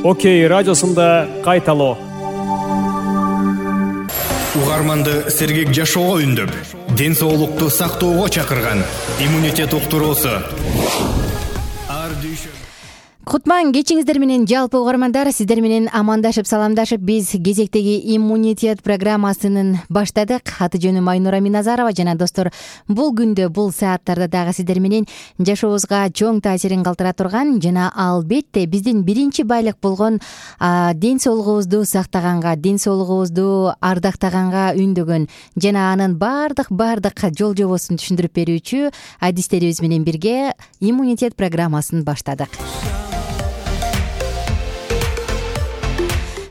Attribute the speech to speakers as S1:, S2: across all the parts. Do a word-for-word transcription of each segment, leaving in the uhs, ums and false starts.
S1: Окей радиосунда кайталоо.
S2: Угарманды сергек жашоого үндөп, ден соолукту сактоого чакырган иммунитет уктуруусу.
S3: Кутман кечиңиздер менен жалпы угармандар, сиздер менен амандашып саламдашып биз кезектеги иммунитет программасын баштадык. Аты жөнүм Айнура Миназарова жана достор, бул күндө бул сааттарда дагы сиздер менен жашообузга чоң таасирин калтыра турган жана албетте биздин биринчи байлык болгон ден соолугубузду сактаганга, ден соолугубузду ардактаганга үндөгөн жана анын бардык бардык жол жобосун түшүндүрүп берүүчү адистерибиз менен бирге иммунитет программасын баштадык.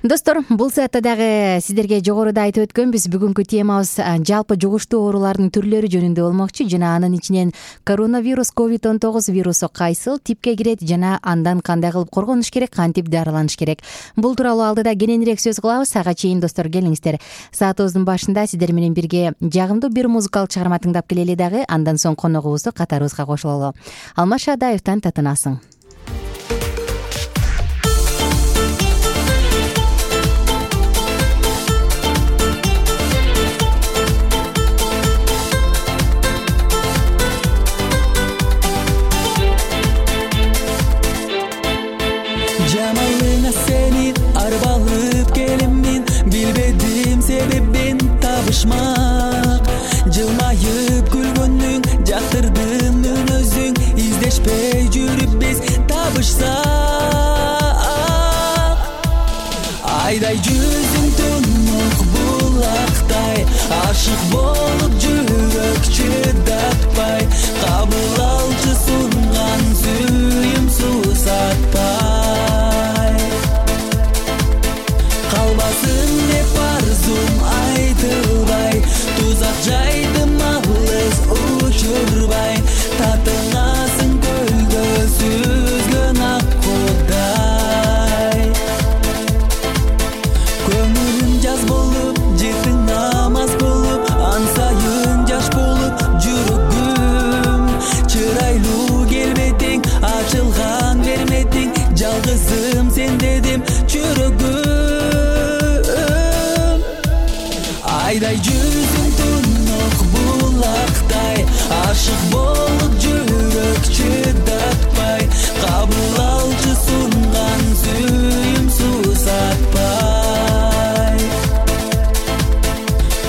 S3: Достор, бул саатта дагы сиздерге жогоруда айтып өткөнбүз, бүгүнкү темабыз жалпы жугуштуу оорулардын түрлөрү жөнүндө болмокчу жана анын ичинен коронавирус ковид он тогуз вирусу кайсыл типке кирет жана андан кандай кылып коргонуш керек, кантип дарыланыш керек. Бул тууралуу алдыда кененирээк сөз кылабыз. Ага чейин достор, келиңиздер. Саатыбыздын башында сиздер менен бирге жагымдуу бир музыкалык чыгарма тыңдап келели дагы, андан соң коногубузду катарыбызга кошулалы. Алмаз Шадаевден татынасың.
S4: Жамалыңа сени арбалып келемин, билбедим себебин табышмак. Жылмайып күлгөнүң жактырдым мен өзүң, издешпей жүрүп биз табышсак. Айдай жүзүң түнөк булактай, ашык болуп жүрөк чыдатпай, кабыл алчы сунган сүйүм сусатпай. Калбасын деп арзум айтылбай, тузак жайдым алыс учурбай, татыңасың көлгө сүзгөн ак кудай. Көңүлүм жаз болуп, жыртың намаз болуп, ансайын жаш болуп жүрөгүм. Чырайлуу келбетиң, ачылган берметиң, жалгызым сен дедим жүрөгүм. Айдай жүзүң түнөк булактай, ашык болуп жүрөк чыдатпай, кабыл алчы сунган сүйүм сусатпай.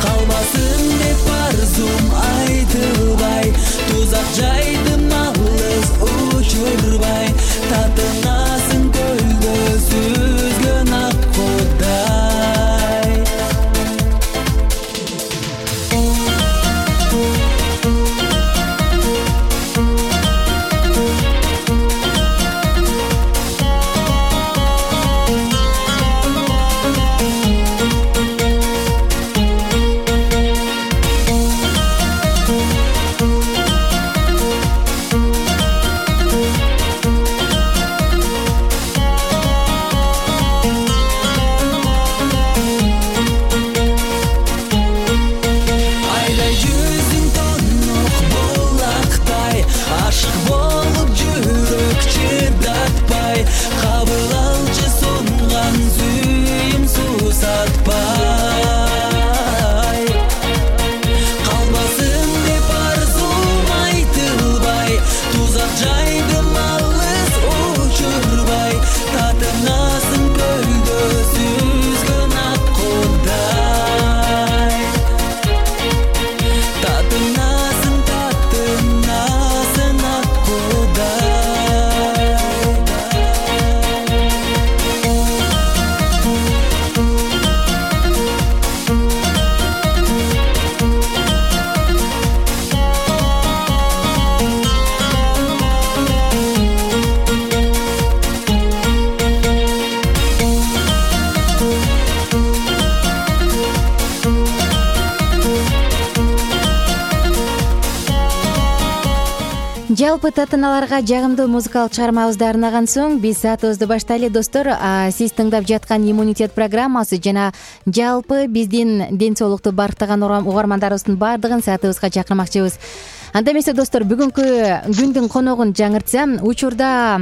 S4: Калбасын деп арзум айтылбай, тузак жайдым алыс учурбай, татыңасың көлгө сүзгөн ак кудай. Айдай жүзүң түнөк булактай, ашык болуп жүрөк чыдатпай, кабыл алчы сунган сүйүм сусатпай. Калбасын деп арзум айтылбай, тузак жайдым алыс учурбай, татыңасың көлгө сүзгөн ак кудай. Татыңасың, татыңасың ак кудай.
S3: Жалпы татыналарга жагымдуу музыкалык чыгармабызды арнаган соң биз саатыбызды баштайлы достор. Сиз тыңдап жаткан иммунитет программасы жана жалпы биздин ден соолукту барктаган угармандарыбыздын баардыгын саатыбызга чакырмакчыбыз. анда эмесе достор, бүгүнкү күндүн коногун жаңыртсам, учурда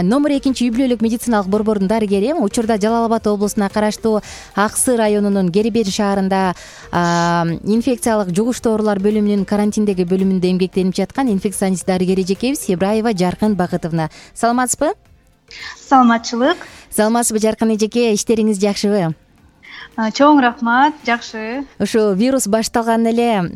S3: номер экинчи үй бүлөлүк медициналык борбордун дарыгери, учурда Жалал Абад облусуна караштуу Аксы районунун Кербер шаарында инфекциялык жугуштуу оорулар бөлүмүнүн карантиндеги бөлүмүндө эмгектенип жаткан инфекционист дарыгер эжекебиз Ибраева Жаркын Бакытовна. Саламатсызбы?
S5: Саламатчылык.
S3: Саламатсызбы Жаркын эжеке, иштериңиз жакшыбы?
S5: Чоң рахмат, жакшы.
S3: Ушу вирус башталган эле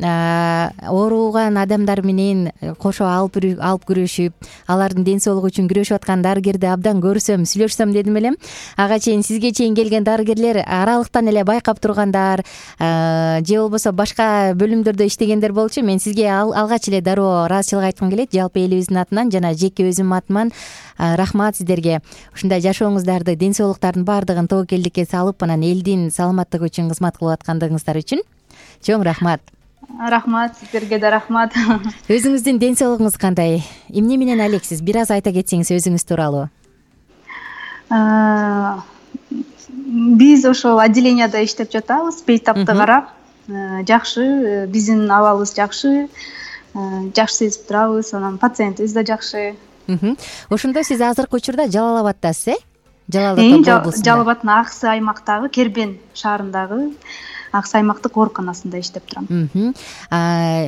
S3: ооруган адамдар менен кошо алып алып күрөшүп, алардын ден соолугу үчүн күрөшүп аткан дарыгерди абдан көрсөм, сүйлөшсөм дедим элем. Ага чейин сизге чейин келген дарыгерлер аралыктан эле байкап тургандар, же болбосо башка бөлүмдөрдө иштегендер болчу. Мен сизге алгач эле дароо ыраазычылык айткым келет, жалпы элибиздин атынан жана жеке өзүм атыман. Рахмат сиздерге. Ушундай жашооңуздарды, ден соолуктардын баардыгын тобокелдикке салып, анан элдин саламаттыгы үчүн кызмат кылып аткандыгыңыздар үчүн чоң рахмат.
S5: Рахмат, сиздерге да рахмат.
S3: Өзүңүздүн ден соолугуңуз кандай? Эмне менен алексиз? Бир аз айта кетсеңиз өзүңүз тууралуу.
S5: Биз ошол отделенияда иштеп жатабыз, бейтапты карап. Жакшы, биздин абалыбыз жакшы. Жакшы сезип турабыз, анан пациентибиз да жакшы.
S3: Ошондо сиз азыркы учурда Жалал Абаддасыз, э? Жалал Абад облусунда.
S5: Жалал Абаддын Аксы аймактагы Кербен шаарындагы Аксы аймактык ооруканасында иштеп турам.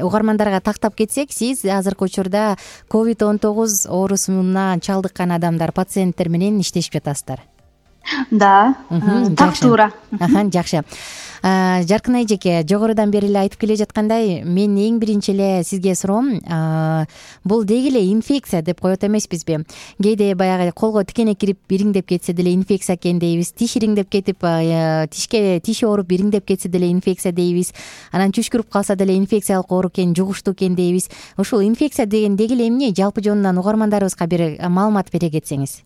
S3: Угармандарга тактап кетсек, сиз азыркы учурда ковид он тогуз оорусуна чалдыккан адамдар, пациенттер менен иштешип жатасыздар.
S5: Да, так туура.
S3: Жакшы. Жаркын эжеке, жогорудан бери эле айтып келе жаткандай, мен эң биринчи эле сизге суроом, бул деги эле инфекция деп коет эмеспизби? Кээде баягы колго тикене кирип бириңдеп кетсе деле инфекция экен дейбиз, тиш ириңдеп кетип, тишке тиши ооруп бириңдеп кетсе деле инфекция дейбиз, анан түшкүрүп калса деле инфекциялык оору экен, жугуштуу экен дейбиз. Ушул инфекция деген деги эле эмне? Жалпы жонунан угармандарыбызга бир маалымат бере кетсеңиз.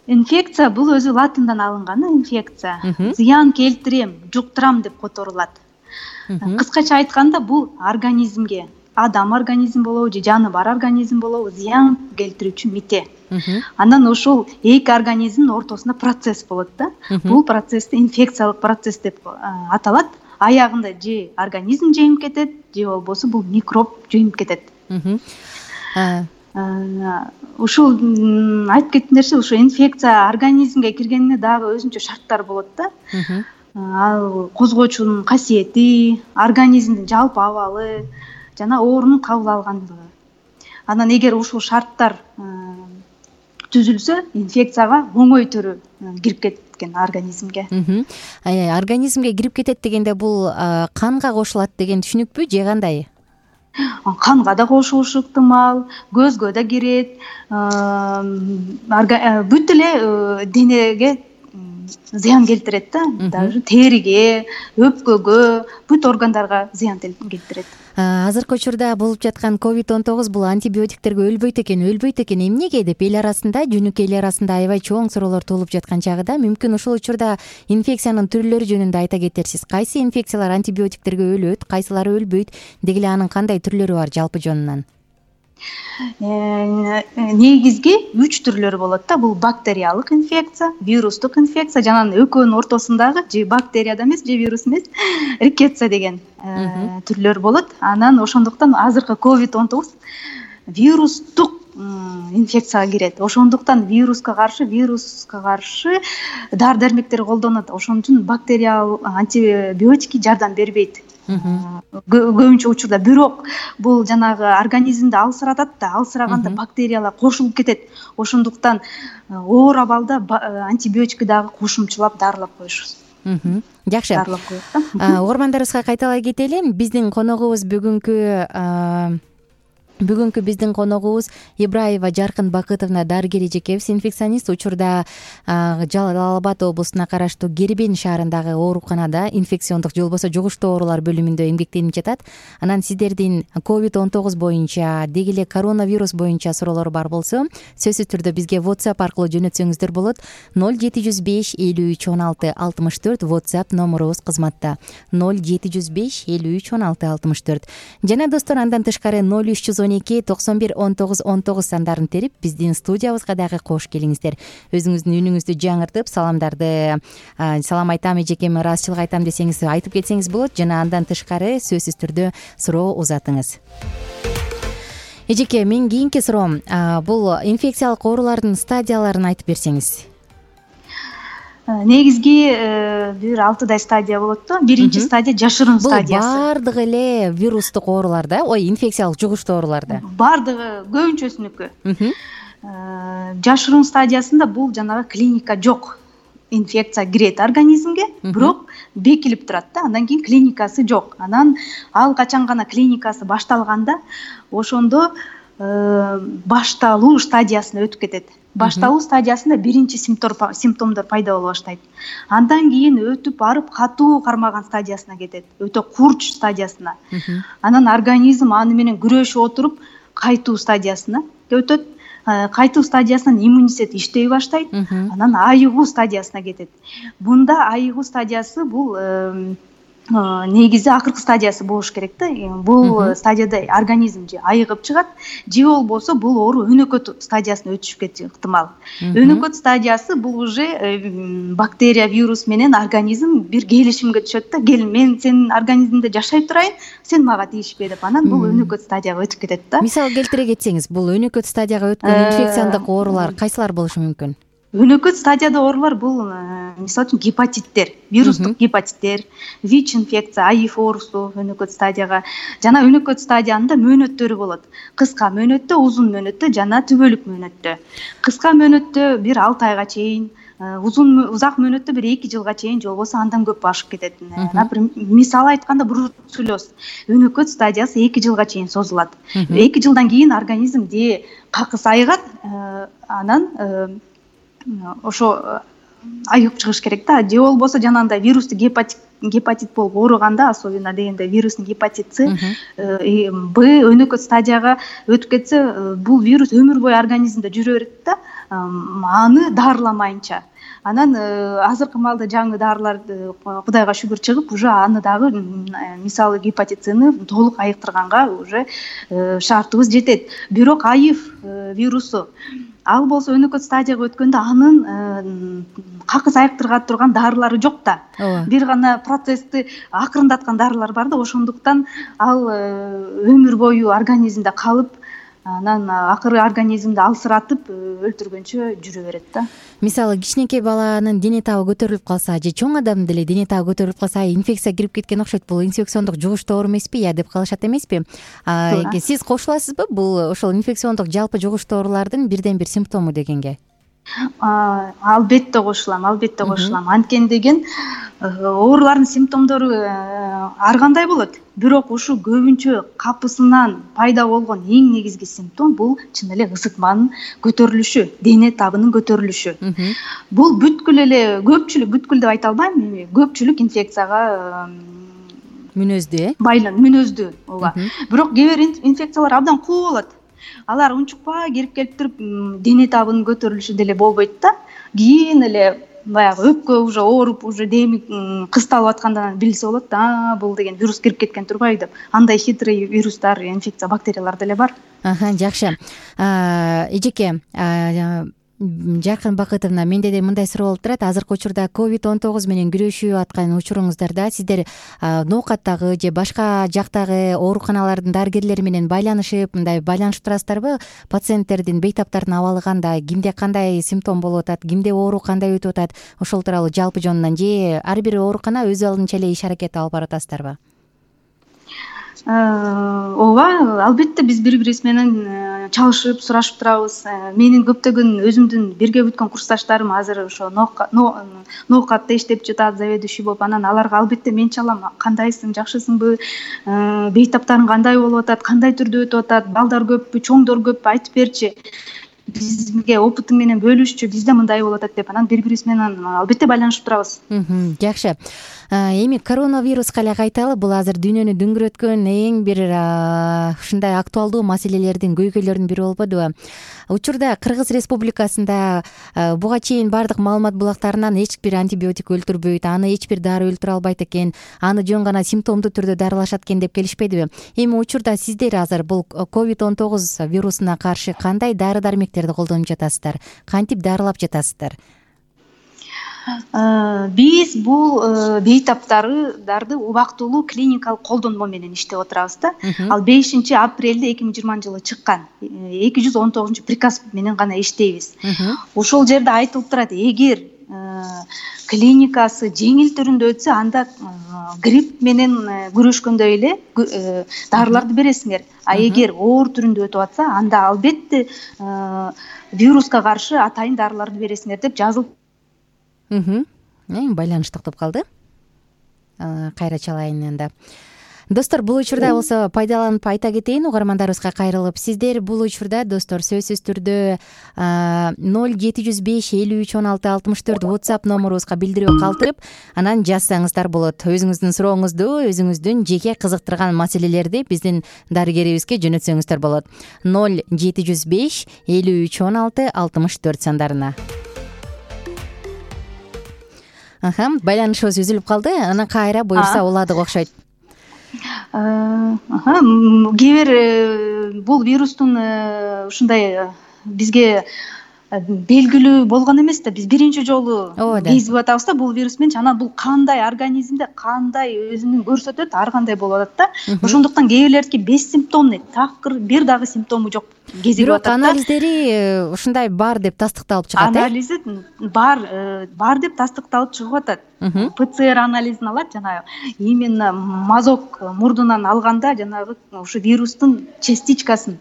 S5: Инфекция бул өзү латындан алынган инфекция. Зыян келтирем, жуктурам деп которулат. Кыскача айтканда бул организмге, адам организм болобу же жаны бар организм болобу, зыян келтирүүчү мите. Анан ошол эки организмдин ортосунда процесс болот да. Бул процессти инфекциялык процесс деп аталат. Аягында же организм жеңип кетет, же болбосо бул микроб жеңип кетет. Ушул айтып кеткен нерсе, ушу инфекция организмге киргенине дагы өзүнчө шарттар болот да. Ал козгоочунун касиети, организмдин жалпы абалы жана оорунун кабыл алгандыгы. Анан эгер ушул шарттар түзүлсө, инфекцияга оңой түрү кирип кеткен организмге.
S3: Организмге кирип кетет дегенде бул канга кошулат деген түшүнүкпү же кандай?
S5: Канга да кошулушу ыктымал, көзгө да кирет, бүт эле денеге зыян келтирет да, даже териге, өпкөгө, бүт органдарга зыян келтирет.
S3: Азыркы учурда болуп жаткан ковид он тогуз бул антибиотиктерге өлбөйт экен, өлбөйт экен. Эмнеге деп эл арасында, жөнөкөй эл арасында аябай чоң суроолор туулуп жаткан чагыда, мүмкүн ушул учурда инфекциянын түрлөрү жөнүндө айта кетерсиз. Кайсы инфекциялар антибиотиктерге өлөт, кайсылары өлбөйт, деги эле анын кандай түрлөрү бар жалпы жонунан?
S5: Негизги үч түрлөрү болот да. Бул бактериялык инфекция, вирустук инфекция, жана экөөнүн ортосундагы же бактерияда эмес, же вирус эмес, рикетция деген түрлөр болот. Анан ошондуктан азыркы ковид он тогуз вирустук инфекцияга кирет. Ошондуктан вируска каршы, вируска каршы дары-дармектер колдонот. Ошон үчүн бактериялык антибиотики жардам бербейт. Көбүнчө учурда, бирок бул жанагы организмди алсыратат да, алсыраганда бактериялар кошулуп кетет. Ошондуктан оор абалда антибиотикти дагы кошумчулап дарылап коюшубуз.
S3: Жакшы.
S5: Дарылап коет.
S3: Угармандарыбызга кайталай кетели. Биздин коногубуз бүгүнкү Бүгүнкү биздин коногубуз Ибраева Жаркын Бакытовна, дарыгер эжекебиз, инфекционист. Учурда Жалал Абад облусуна караштуу Кербен шаарындагы ооруканада инфекциондук же болбосо жугуштуу оорулар бөлүмүндө эмгектенип жатат. Анан сиздердин ковид он тогуз боюнча, деги эле коронавирус боюнча суроолор бар болсо, сөзсүз түрдө бизге WhatsApp аркылуу жөнөтсөңүздөр болот. ноль жети жүз беш элүү үч он алты алтымыш төрт WhatsApp номерубуз кызматта. ноль жети жүз беш элүү үч он алты алтымыш төрт. Жана достор, андан тышкары ноль үч жүз он он эки токсон бир он тогуз он тогуз сандарын терип биздин студиябызга дагы кош келиңиздер. Өзүңүздүн үнүңүздү жаңыртып, саламдарды салам айтам эжекеме, ыраазычылык айтам десеңиз айтып кетсеңиз болот жана андан тышкары сөзсүз түрдө суроо узатыңыз. Эжеке, менин кийинки суроом бул инфекциялык оорулардын стадияларын айтып берсеңиз.
S5: Негизги бир алтыдай стадия болот да. Биринчи стадия жашырын стадиясы.
S3: Бул бардыгы эле вирустук оорулар да, ой, инфекциялык жугуштуу оорулар да.
S5: Бардыгы көбүнчөсүнүкү. Жашырын стадиясында бул жанагы клиника жок. Инфекция кирет организмге, бирок бекилип турат да. Андан кийин клиникасы жок. Анан ал качан гана клиникасы башталганда, ошондо башталуу стадиясына өтүп кетет. Башталуу стадиясында биринчи симптомдор пайда боло баштайт. Андан кийин өтүп барып катуу кармаган стадиясына кетет. Өтө курч стадиясына. Анан организм аны менен күрөшүп отуруп кайтуу стадиясына өтөт. Кайтуу стадиясынан иммунитет иштей баштайт. Анан айыгуу стадиясына кетет. Бунда айыгуу стадиясы бул негизи акыркы стадиясы болуш керек да. Бул стадияда организм же айыгып чыгат, же болбосо бул оору өнөкөт стадиясына өтүшүп кетиши ыктымал. Өнөкөт стадиясы бул уже бактерия, вирус менен организм бир келишимге түшөт да. Кел, мен сенин организмиңде жашай турайын, сен мага тийишпе деп. Анан бул өнөкөт стадияга өтүп кетет да.
S3: Мисал келтире кетсеңиз, бул өнөкөт стадияга өткөн инфекциялык оорулар кайсылар болушу мүмкүн?
S5: Өнөкөт стадияда оорулар бул мисалы үчүн гепатиттер, вирустук гепатиттер, ВИЧ инфекция, АИФ оорусу өнөкөт стадияга. Жана өнөкөт стадиянында мөөнөттөрү болот. Кыска мөөнөттө, узун мөөнөттө жана түбөлүк мөөнөттө. Кыска мөөнөттө бир алты айга чейин, узун узак мөөнөттө бир эки жылга чейин, же болбосо андан көп ашып кетет. Например, мисалы айтканда бруцеллез өнөкөт стадиясы эки жылга чейин созулат. эки жылдан кийин организм де какыс айыгат, анан ошо айыгып чыгыш керек да. Же болбосо жанагындай вирустук гепатит гепатит болуп ооруганда, особенно дегенде вирусный гепатит С, Б өнөкөт стадияга өтүп кетсе, бул вирус өмүр бою организмде жүрө берет да, аны дарыламайынча. Анан азыркы маалда жаңы дарылар Кудайга шүгүр чыгып, уже аны дагы мисалы гепатит Сны толук айыктырганга уже шартыбыз жетет. Бирок АИФ вирусу ал болсо өнөкөт стадияга өткөндө анын какыс айыктырга турган дарылары жок да. Бир гана процессти акырындаткан дарылар бар да, ошондуктан ал өмүр бою организмде калып, анан акыры организмди алсыратып өлтүргөнчө жүрө берет да.
S3: Мисалы кичинекей баланын дене табы көтөрүлүп калса, же чоң адамдын деле дене табы көтөрүлүп калса, инфекция кирип кеткен окшойт. Бул инфекциондук жугуштуу оору эмеспи, я деп калышат эмеспи? Сиз кошуласызбы бул ошол инфекциондук жалпы жугуштуу оорулардын бирден бир симптому дегенге?
S5: Албетте кошулам, албетте кошулам. Анткени деген оорулардын симптомдору ар кандай болот. Бирок ушу көбүнчө капысынан пайда болгон эң негизги симптом бул чын эле ысытманын көтөрүлүшү, дене табынын көтөрүлүшү. Бул бүткүл эле көпчүлүк, бүткүл деп айта албайм, көпчүлүк инфекцияга
S3: мүнөздүү, э?
S5: Байлан, мүнөздүү, ооба. Бирок кээ бир инфекциялар абдан куу болот. Алар унчукпай кирип келип туруп, дене табынын көтөрүлүшү деле болбойт да. Кийин эле баягы өпкө уже ооруп, уже деми кысталып аткандан билсе болот да, бул деген вирус кирип кеткен турбайбы деп. Андай хитрый вирустар, инфекция, бактериялар деле бар.
S3: Аха, жакшы. Эжеке, Жаркын Бакытовна, менде да мындай суроо болуп турат. Азыркы учурда ковид он тогуз менен күрөшүп аткан учуруңуздарда сиздер ноокаттагы же башка жактагы ооруканалардын дарыгерлери менен байланышып, мындай байланышып турасыздарбы? Пациенттердин, бейтаптардын абалы кандай, кимде кандай симптом болуп атат, кимде оору кандай өтүп атат, ошол тууралуу жалпы жонунан же ар бир оорукана өз алдынча эле иш аракет алып баратасыздарбы?
S5: Ооба, албетте биз бири-бирибиз менен чалышып, сурашып турабыз. Менин көптөгөн өзүмдүн бирге бүткөн курсташтарым азыр ошо ноокатта иштеп жатат, заведующий болуп, анан аларга албетте мен чалам, кандайсың, жакшысыңбы, бейтаптарың кандай болуп атат, кандай түрдө өтүп атат, балдар көппү, чоңдор көппү, айтып берчи. бизге опытың менен бөлүшчү, бизде мындай болуп атат деп, анан бири бирибиз менен албетте байланышып турабыз.
S3: Жакшы. Эми коронавируска эле кайталы. Бул азыр дүйнөнү дүңгүрөткөн эң бир ушундай актуалдуу маселелердин, көйгөйлөрдүн бири болбодубу? Учурда Кыргыз Республикасында буга чейин бардык маалымат булактарынан эч бир антибиотик өлтүрбөйт, аны эч бир дары өлтүрө албайт экен, аны жөн гана симптомдуу түрдө дарылашат экен деп келишпедиби? Эми учурда сиздер азыр бул ковид он тогуз вирусуна каршы кандай дары дармектерди колдонуп жатасыздар? Кантип дарылап жатасыздар?
S5: Биз бул бейтаптарды убактылуу клиникалык колдонмо менен иштеп отурабыз да. Ал бешинчи апрелде эки миң жыйырманчы жылы чыккан эки жүз он тогузунчу приказ менен гана иштейбиз. Ошол жерде айтылып турат, эгер клиникасы жеңил түрүндө өтсө, анда грипп менен күрөшкөндөй эле дарыларды бересиңер. А эгер оор түрүндө өтүп атса, анда албетте вируска каршы атайын дарыларды бересиңер деп жазылып.
S3: Байланыш токтоп калды. Кайра чалайын анда. Достор, бул учурда болсо пайдаланып айта кетейин угармандарыбызга кайрылып. Сиздер бул учурда достор сөзсүз түрдө ноль жети жүз беш элүү үч он алты алтымыш төрт WhatsApp номерубузга билдирүү калтырып, анан жазсаңыздар болот. Өзүңүздүн сурооңузду, өзүңүздүн жеке кызыктырган маселелерди биздин дарыгерибизге жөнөтсөңүздөр болот. ноль жети жүз беш элүү үч он алты алтымыш төрт сандарына. Аха, байланышыбыз үзүлүп калды. Анан кайра буюрса уладык окшойт.
S5: Аха, кээ бир бул вирустун ушундай бизге белгилүү болгон эмес да. Биз биринчи жолу кезип атабыз да бул вирус менен. Анан бул кандай организмде кандай өзүнүн көрсөтөт, ар кандай болуп атат да. Ошондуктан кээ бирлердики бессимптомный, такыр бир дагы симптому жок кезип атат да.
S3: Бирок анализдери ушундай бар деп тастыкталып чыгат.
S5: Анализи бар, бар деп тастыкталып чыгып атат. ПЦР анализин алат, жанагы именно мазок мурдунан алганда жанагы ушу вирустун частичкасын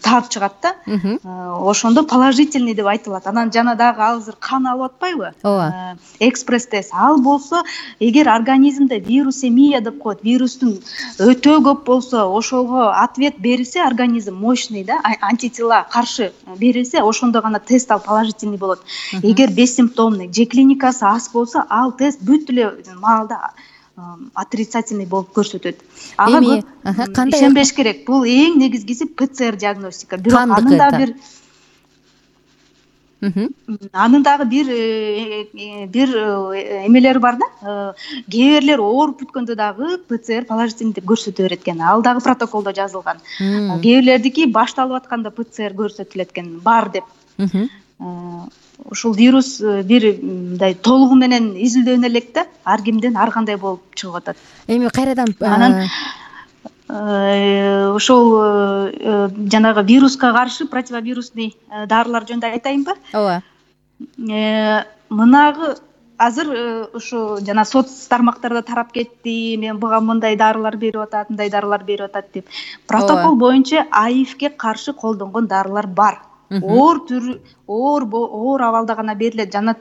S5: таап чыгат да. Ошондо положительный деп айтылат. Анан жана дагы азыр кан алып атпайбы?
S3: Ооба.
S5: Экспресс тест. Ал болсо, эгер организмде вирусемия деп коет, вирустун өтө көп болсо, ошого ответ берилсе, организм мощный да, антитела каршы берилсе, ошондо гана тест ал положительный болот. Эгер бессимптомный, же клиникасы аз болсо, ал тест бүт эле маалда отрицательный болуп көрсөтөт. Ага кандай ишенбеш керек. Бул эң негизгиси ПЦР диагностика. Бирок анын да бир анын дагы бир бир эмелери бар да. Кээ бирлер ооруп бүткөндө дагы ПЦР положительный деп көрсөтө берет экен. Ал дагы протоколдо жазылган. Кээ бирлердики башталып атканда ПЦР көрсөтүлөт экен, бар деп. Ушул вирус бир мындай толугу менен изилдөөнө элек да, ар кимден ар кандай болуп чыгып атат.
S3: Эми кайрадан
S5: анан ошол жанагы вируска каршы противовирусный дарылар жөнүндө айтайынбы?
S3: Ооба.
S5: Мынагы азыр ушу жана соц тармактарда тарап кетти. Мен буга мындай дарылар берип атат, мындай дарылар берип атат деп. Протокол боюнча АИФке каршы колдонгон дарылар бар. Оор түр, оор оор абалда гана берилет. Жана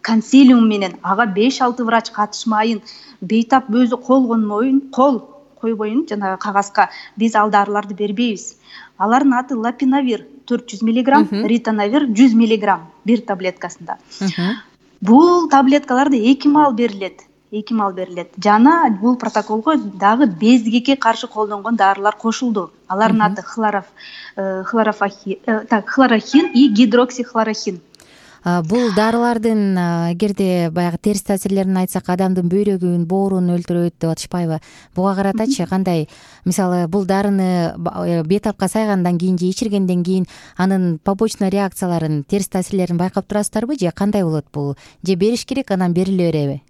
S5: консилиум менен ага беш алты врач катышмайын, бейтап өзү кол конмойун, кол койбойун жанагы кагазга биз ал дарыларды бербейбиз. Алардын аты лапинавир төрт жүз миллиграмм, ритонавир жүз миллиграмм бир таблеткасында. Бул таблеткаларды эки маал берилет. эки маал берилет. Жана бул протоколго дагы безгекке каршы колдонгон дарылар кошулду. Алардын аты хлороф хлорофахин, так, хлорохин и гидроксихлорохин.
S3: Бул дарылардын эгерде баягы терс таасирлерин айтсак, адамдын бөйрөгүн, боорун өлтүрөт деп атышпайбы? Буга каратачы кандай? Мисалы, бул дарыны бетапка сайгандан кийин же ичиргенден кийин анын побочный реакцияларын, терс таасирлерин байкап турасыздарбы же кандай болот бул? Же бериш керек, анан бериле береби?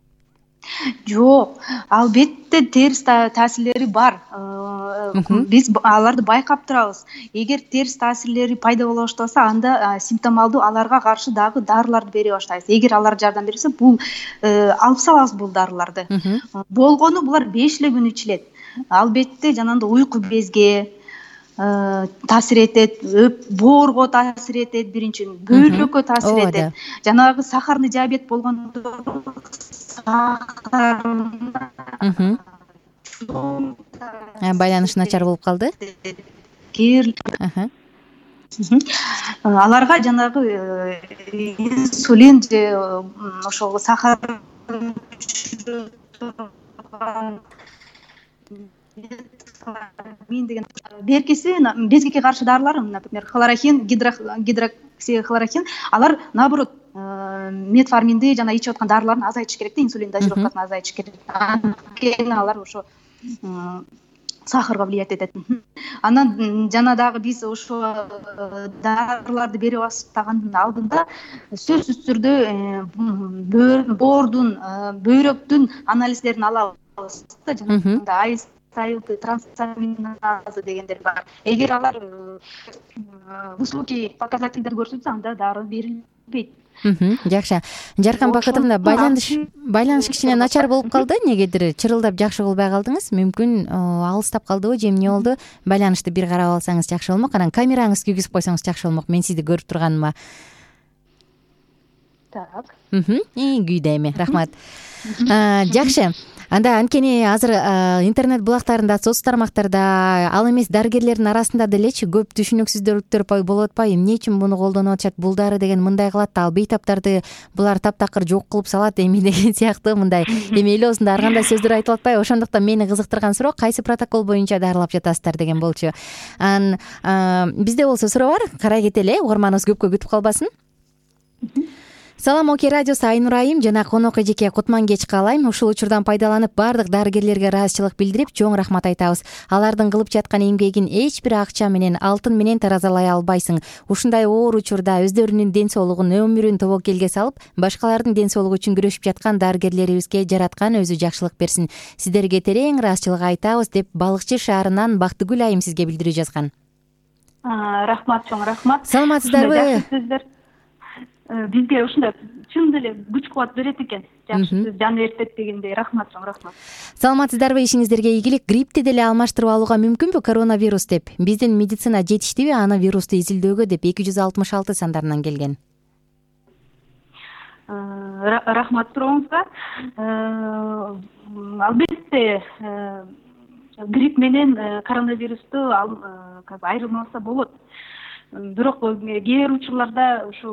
S5: Жок, албетте терс таасирлери бар. Биз аларды байкап турабыз. Эгер терс таасирлери пайда боло баштаса, анда симптомалдуу аларга каршы дагы дарыларды бере баштайбыз. Эгер алар жардам берсе, бул алып салабыз бул дарыларды. Болгону булар беш эле күн ичилет. Албетте жанагындай уйку безге таасир этет, боорго таасир этет, биринчиден бөйрөккө таасир этет. Жанагы сахарный диабет болгондо
S3: байланыш начар болуп калды.
S5: аларга жанагы инсулин же ошол сахар мен деген беркиси безгекке каршы дарылар, например, хлорохин, гидроксихлорохин, алар наоборот метформинди жана ичип аткан дарыларын азайтыш керек да, инсулин дозировкасын азайтыш керек. Анткени алар ошо сахарга влиять этет. Анан жана дагы биз ошо дарыларды бере баштагандын алдында сөзсүз түрдө боордун, бөйрөктүн анализдерин алабыз да, жана айс трансаминазы дегендер бар. Эгер алар высокий показательдер көрсөтсө, анда дары берилбейт.
S3: Жакшы. Жаркан Бакытовна, байланыш байланыш кичине начар болуп калды. Негедир чырылдап жакшы кылбай калдыңыз? Мүмкүн алыстап калдыбы же эмне болду? Байланышты бир карап алсаңыз жакшы болмок. Анан камераңызды күйгүзүп койсоңуз жакшы болмок. Мен сизди көрүп турганыма.
S5: Так.
S3: Мм, күйдө эми. Рахмат. Жакшы. Анда анткени азыр интернет булактарында, соц тармактарда, ал эмес дарыгерлердин арасында делечи көп түшүнүксүздүктөр болуп атпайбы? Эмне үчүн муну колдонуп атышат? Бул дары деген мындай кылат да, ал бейтаптарды булар таптакыр жок кылып салат эми деген сыяктуу мындай эми эле осундай ар кандай сөздөр айтылып атпайбы? Ошондуктан мени кызыктырган суроо, кайсы протокол боюнча дарылап жатасыздар деген болчу. Анан бизде болсо суроо бар, карай кетели, угарманыбыз көпкө күтүп калбасын. Салам Оке радиосу, Айнур айым жана конок эжеке Кутмангеч каалайм. Ушул учурдан пайдаланып баардык дарыгерлерге ыраазычылык билдирип, чоң рахмат айтабыз. Алардын кылып жаткан эмгегин эч бир акча менен, алтын менен таразалай албайсың. Ушундай оор учурда өздөрүнүн ден соолугун, өмүрүн тобокелге салып, башкалардын ден соолугу үчүн күрөшүп жаткан дарыгерлерибизге жараткан өзү жакшылык берсин. Сиздерге терең ыраазычылык айтабыз деп Балыкчы шаарынан Бактыгүл айым сизге билдирүү жазган.
S5: Рахмат, чоң рахмат.
S3: Саламатсыздарбы?
S5: Бизге ушундай чын деле күч кубат берет экен. Жакшы, сиз жан эртет дегендей. Рахмат, чоң рахмат.
S3: Саламатсыздарбы? Ишиңиздерге ийгилик. Гриппти деле алмаштырып алууга мүмкүнбү коронавирус деп? Биздин медицина жетиштиби аны вирусту изилдөөгө деп эки жүз алтымыш алты сандарынан келген.
S5: Рахмат сурооңузга. Албетте грипп менен коронавирусту айырмаласа болот. Бирок кээ бир учурларда ушу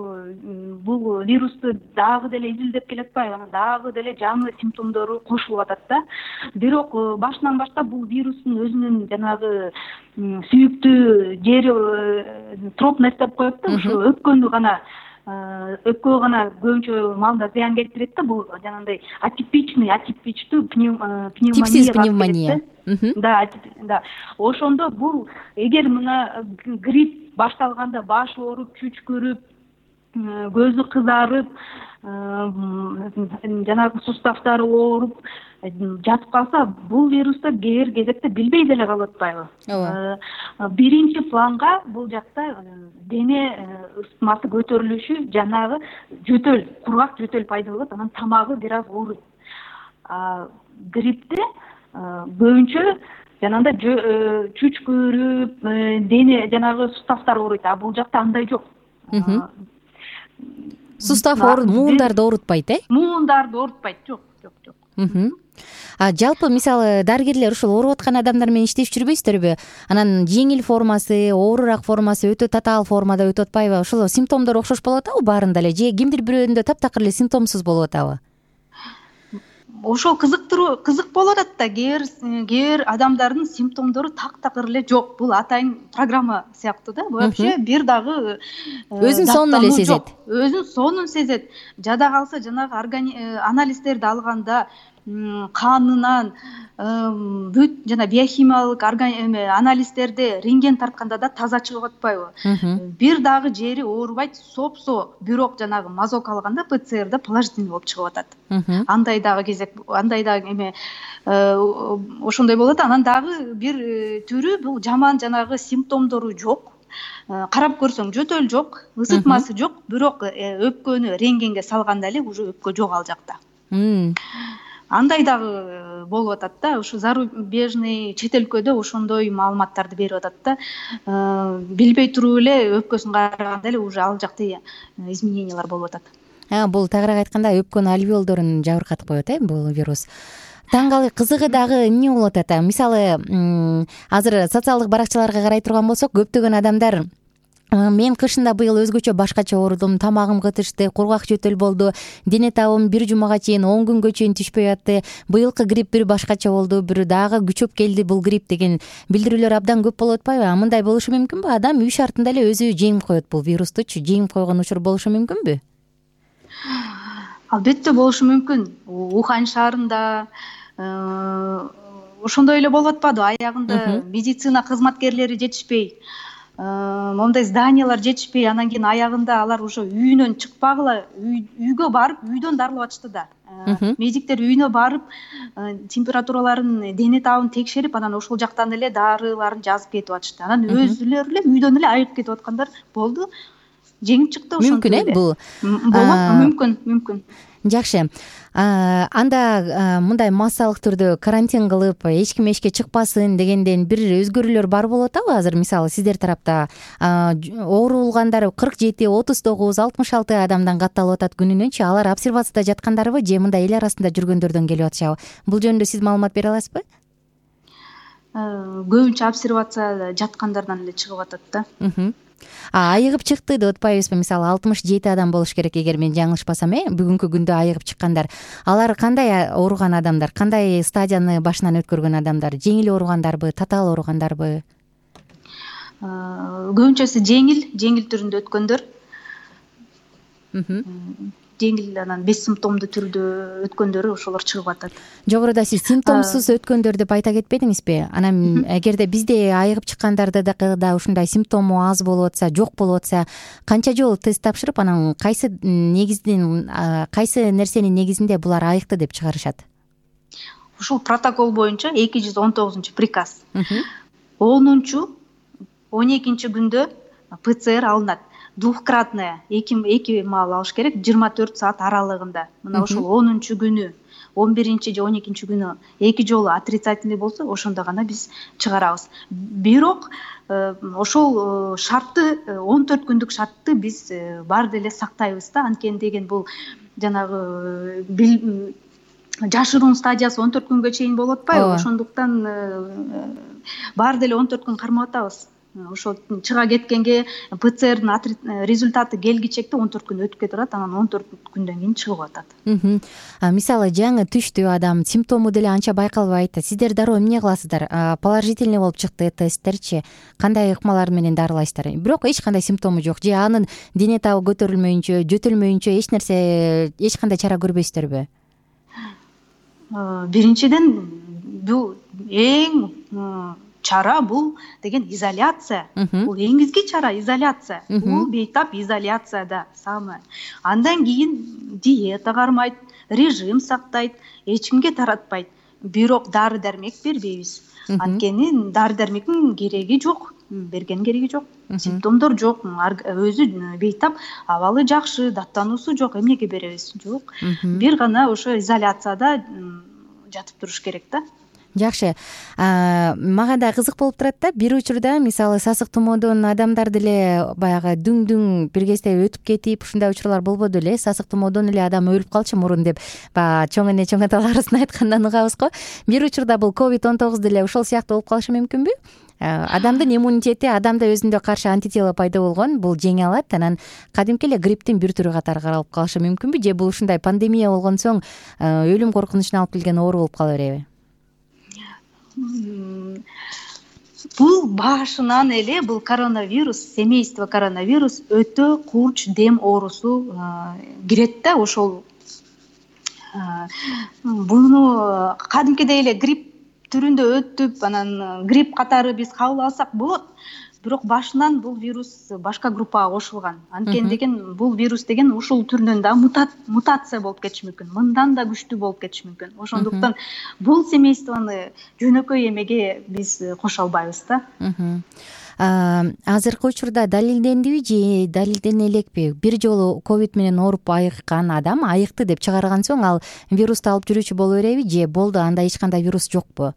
S5: бул вирусту дагы деле изилдеп келатпайбы, анан дагы деле жаңы симптомдору кошулуп атат да. Бирок башынан баштап бул вирустун өзүнүн жанагы сүйүктүү жери тропность деп коет да, ушу өпкөнү гана өпкөгө гана көбүнчө маалда зыян келтирет да. Бул жанагындай атипичный, атипичтүү пневмония.
S3: Типсиз пневмония.
S5: Да, да. Ошондо бул эгер мына грипп башталганда баш ооруп, чүчкүрүп, көзү кызарып, жанагы суставтары ооруп жатып калса, бул вируста кээ бир кезекте билбей деле калып атпайбы? Биринчи планга бул жакта дене ысытмасы көтөрүлүшү, жанагы жөтөл, кургак жөтөл пайда болот, анан тамагы бир аз ооруйт. Гриппте көбүнчө жанагындай чүчкүрүп, дене жанагы суставтар ооруйт, а бул жакта андай жок.
S3: Сустав ооруп, муундарды оорутпайт, э?
S5: Муундарды оорутпайт, жок, жок, жок.
S3: А жалпы мисалы дарыгерлер ушул ооруп аткан адамдар менен иштешип жүрбөйсүздөрбү? Анан жеңил формасы, оорураак формасы, өтө татаал формада өтүп атпайбы? Ошол симптомдор окшош болуп атабы баарында эле же кимдир бирөөнүндө таптакыр эле симптомсуз болуп атабы?
S5: Ошол кызыктыруу кызык болуп атат да. Кээ бир адамдардын симптомдору тактакыр эле жок. Бул атайын программа сыяктуу да. Вообще бир дагы
S3: өзүн сонун эле сезет.
S5: Өзүн сонун сезет. Жада калса жанагы анализдерди алганда канынан бүт жана биохимиялык анализдерди рентген тартканда да таза чыгып атпайбы? Бир дагы жери оорубайт, сопсо, бирок жанагы мазок алганда ПЦРда положительный болуп чыгып атат. Андай дагы кезек, андай дагы эме ошондой болот. Анан дагы бир түрү бул жаман жанагы симптомдору жок. Карап көрсөң жөтөл жок, ысытмасы жок, бирок өпкөнү рентгенге салганда эле уже өпкө жок ал жакта. Андай дагы болуп атат да. Ушу зарубежный чет өлкөдө ошондой маалыматтарды берип атат да. Билбей туруп эле өпкөсүн караганда эле уже ал жакта изменениялар болуп атат.
S3: Бул тагыраак айтканда өпкөнүн альвеолдорун жабыркатып коет, э, бул вирус. Таңгалы кызыгы дагы эмне болуп атат? Мисалы, азыр социалдык баракчаларга карай турган болсок, көптөгөн адамдар мен кышында быйыл өзгөчө башкача оорудум, тамагым кытышты, кургак жөтөл болду, дене табым бир жумага чейин он күнгө чейин түшпөй атты, быйылкы грипп бир башкача болду, бир дагы күчөп келди бул грипп деген билдирүүлөр абдан көп болуп атпайбы? А мындай болушу мүмкүнбү? Адам үй шартында эле өзү жеңип коет бул вирустучу, жеңип койгон учур болушу мүмкүнбү?
S5: Албетте болушу мүмкүн. Ухань шаарында ошондой эле болуп атпадыбы? Аягында медицина кызматкерлери жетишпей, моундай зданиялар жетишпей, анан кийин аягында алар уже үйүнөн чыкпагыла, үйгө барып, үйдөн дарылап атышты да. Медиктер үйүнө барып, температураларын, дене табын текшерип, анан ошол жактан эле дарыларын жазып кетип атышты. Анан өзүлөрү эле үйдөн эле айыгып кетип аткандар болду. Жеңип чыкты ошондой.
S3: Мүмкүн э бул?
S5: Болот, мүмкүн, мүмкүн.
S3: Жакшы. Анда мындай массалык түрдө карантин кылып, эч ким эшикке чыкпасын дегенден бир өзгөрүүлөр бар болуп атабы азыр? Мисалы, сиздер тарапта оорулгандар кырк жети, отуз тогуз, алтымыш алты адамдан катталып атат күнүнөнчү. Алар обсервацияда жаткандарбы же мындай эл арасында жүргөндөрдөн келип атышабы? Бул жөнүндө сиз маалымат бере аласызбы?
S5: Көбүнчө обсервацияда жаткандардан эле чыгып атат да.
S3: Айыгып чыкты деп атпайбызбы? Мисалы, алтымыш жети адам болуш керек, эгер мен жаңылышпасам, э, бүгүнкү күндө айыгып чыккандар. Алар кандай ооруган адамдар, кандай стадияны башынан өткөргөн адамдар? Жеңил ооругандарбы, татаал ооругандарбы?
S5: Көбүнчөсү жеңил, жеңил түрүндө өткөндөр. Жеңил, анан бессимптомдуу түрдө өткөндөрү ошолор чыгып атат.
S3: Жогоруда сиз симптомсуз өткөндөр деп айта кетпедиңизби? Анан эгерде бизде айыгып чыккандарды да ушундай симптому аз болуп атса, жок болуп атса, канча жолу тест тапшырып, анан кайсы негиздин, кайсы нерсенин негизинде булар айыкты деп чыгарышат?
S5: Ушул протокол боюнча эки жүз он тогузунчу приказ. онунчу, он экинчи күндө ПЦР алынат. Двухкратная, эки эки маал алыш керек, жыйырма төрт саат аралыгында. Мына ошол онунчу күнү, он биринчи же он экинчи күнү эки жолу отрицательный болсо, ошондо гана биз чыгарабыз. Бирок ошол шартты, он төрт күндүк шартты биз баары деле сактайбыз да. Анткени деген бул жанагы жашыруун стадиясы он төрт күнгө чейин болуп атпайбы? Ошондуктан баары деле он төрт күн кармап атабыз. Ошол чыга кеткенге ПЦРдин результаты келгичекте он төрт күн өтүп кетип атат, анан он төрт күндөн кийин чыгып атат.
S3: Мисалы, жаңы түштү адам, симптому деле анча байкалбайт. Сиздер дароо эмне кыласыздар? Положительный болуп чыкты тесттерчи, кандай ыкмалар менен дарылайсыздар? Бирок эч кандай симптому жок же анын дене табы көтөрүлмөйүнчө, жөтөлмөйүнчө эч нерсе, эч кандай чара көрбөйсүздөрбү?
S5: Биринчиден, бул эң чара бул деген изоляция. Бул эң изги чара изоляция. Бул бейтап изоляцияда самое. Андан кийин диета кармайт, режим сактайт, эч кимге таратпайт. Бирок дары дармек бербейбиз. Анткени дары дармектин кереги жок, берген кереги жок. Симптомдор жок, өзү бейтап, абалы жакшы, даттануусу жок, эмнеге беребиз? Жок. Бир гана ошо изоляцияда жатып туруш керек да.
S3: Жакшы. Мага да кызык болуп турат да, бир учурда мисалы сасык тумоодон адамдар деле баягы дүң-дүң бир кезде өтүп кетип, ушундай учурлар болбоду эле? Сасык тумоодон эле адам өлүп калчу мурун деп баягы чоң эне чоң аталарыбыздын айткандан угабыз го. Бир учурда бул ковид он тогуз деле ошол сыяктуу болуп калышы мүмкүнбү? Адамдын иммунитети, адамда өзүндө каршы антитела пайда болгон, бул жеңе алат, анан кадимки эле грипптин бир түрү катары каралып калышы мүмкүнбү? Же бул ушундай пандемия болгон соң өлүм коркунучуна алып келген оору болуп кала береби?
S5: Бул башынан эле бул коронавирус, семейство коронавирус өтө курч дем оорусу кирет да. Ошол буну кадимкидей эле грипп түрүндө өтүп, анан грипп катары биз кабыл алсак болот. Бирок башынан бул вирус башка группага кошулган. Анткени деген бул вирус деген ушул түрүнөн да мутация болуп кетиши мүмкүн. Мындан да күчтүү болуп кетиши мүмкүн. Ошондуктан бул семействону жөнөкөй эмеге биз кошо албайбыз да.
S3: Азыркы учурда далилдендиби же далилдене элекпи? Бир жолу ковид менен ооруп айыккан адам айыкты деп чыгарган соң ал вирусту алып жүрүүчү боло береби же болду, анда эч кандай вирус жокпу?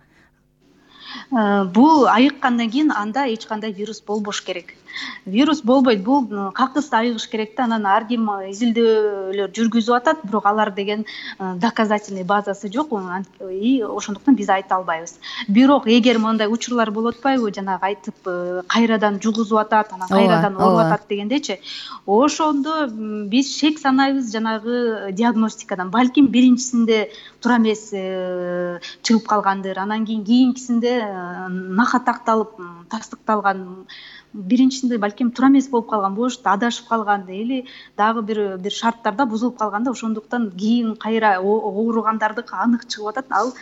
S5: Бул айыккандан кийин анда эч кандай вирус болбош керек. Вирус болбойт, бул какыс айыгыш керек да. Анан ар ким изилдөөлөр жүргүзүп атат, бирок алар деген доказательный базасы жок и ошондуктан биз айта албайбыз. Бирок эгер мындай учурлар болуп атпайбы, жанагы айтып кайрадан жугузуп атат, анан кайрадан ооруп атат дегендечи, ошондо биз шек санайбыз жанагы диагностикадан. Балким биринчисинде туура эмес чыгып калгандыр, анан кийин кийинкисинде нахатакталып тастыкталган, биринчисинде балким туура эмес болуп калган болуш, адашып калган или дагы бир бир шарттарда бузулуп калганда, ошондуктан кийин кайра ооругандардыкы анык чыгып атат. Ал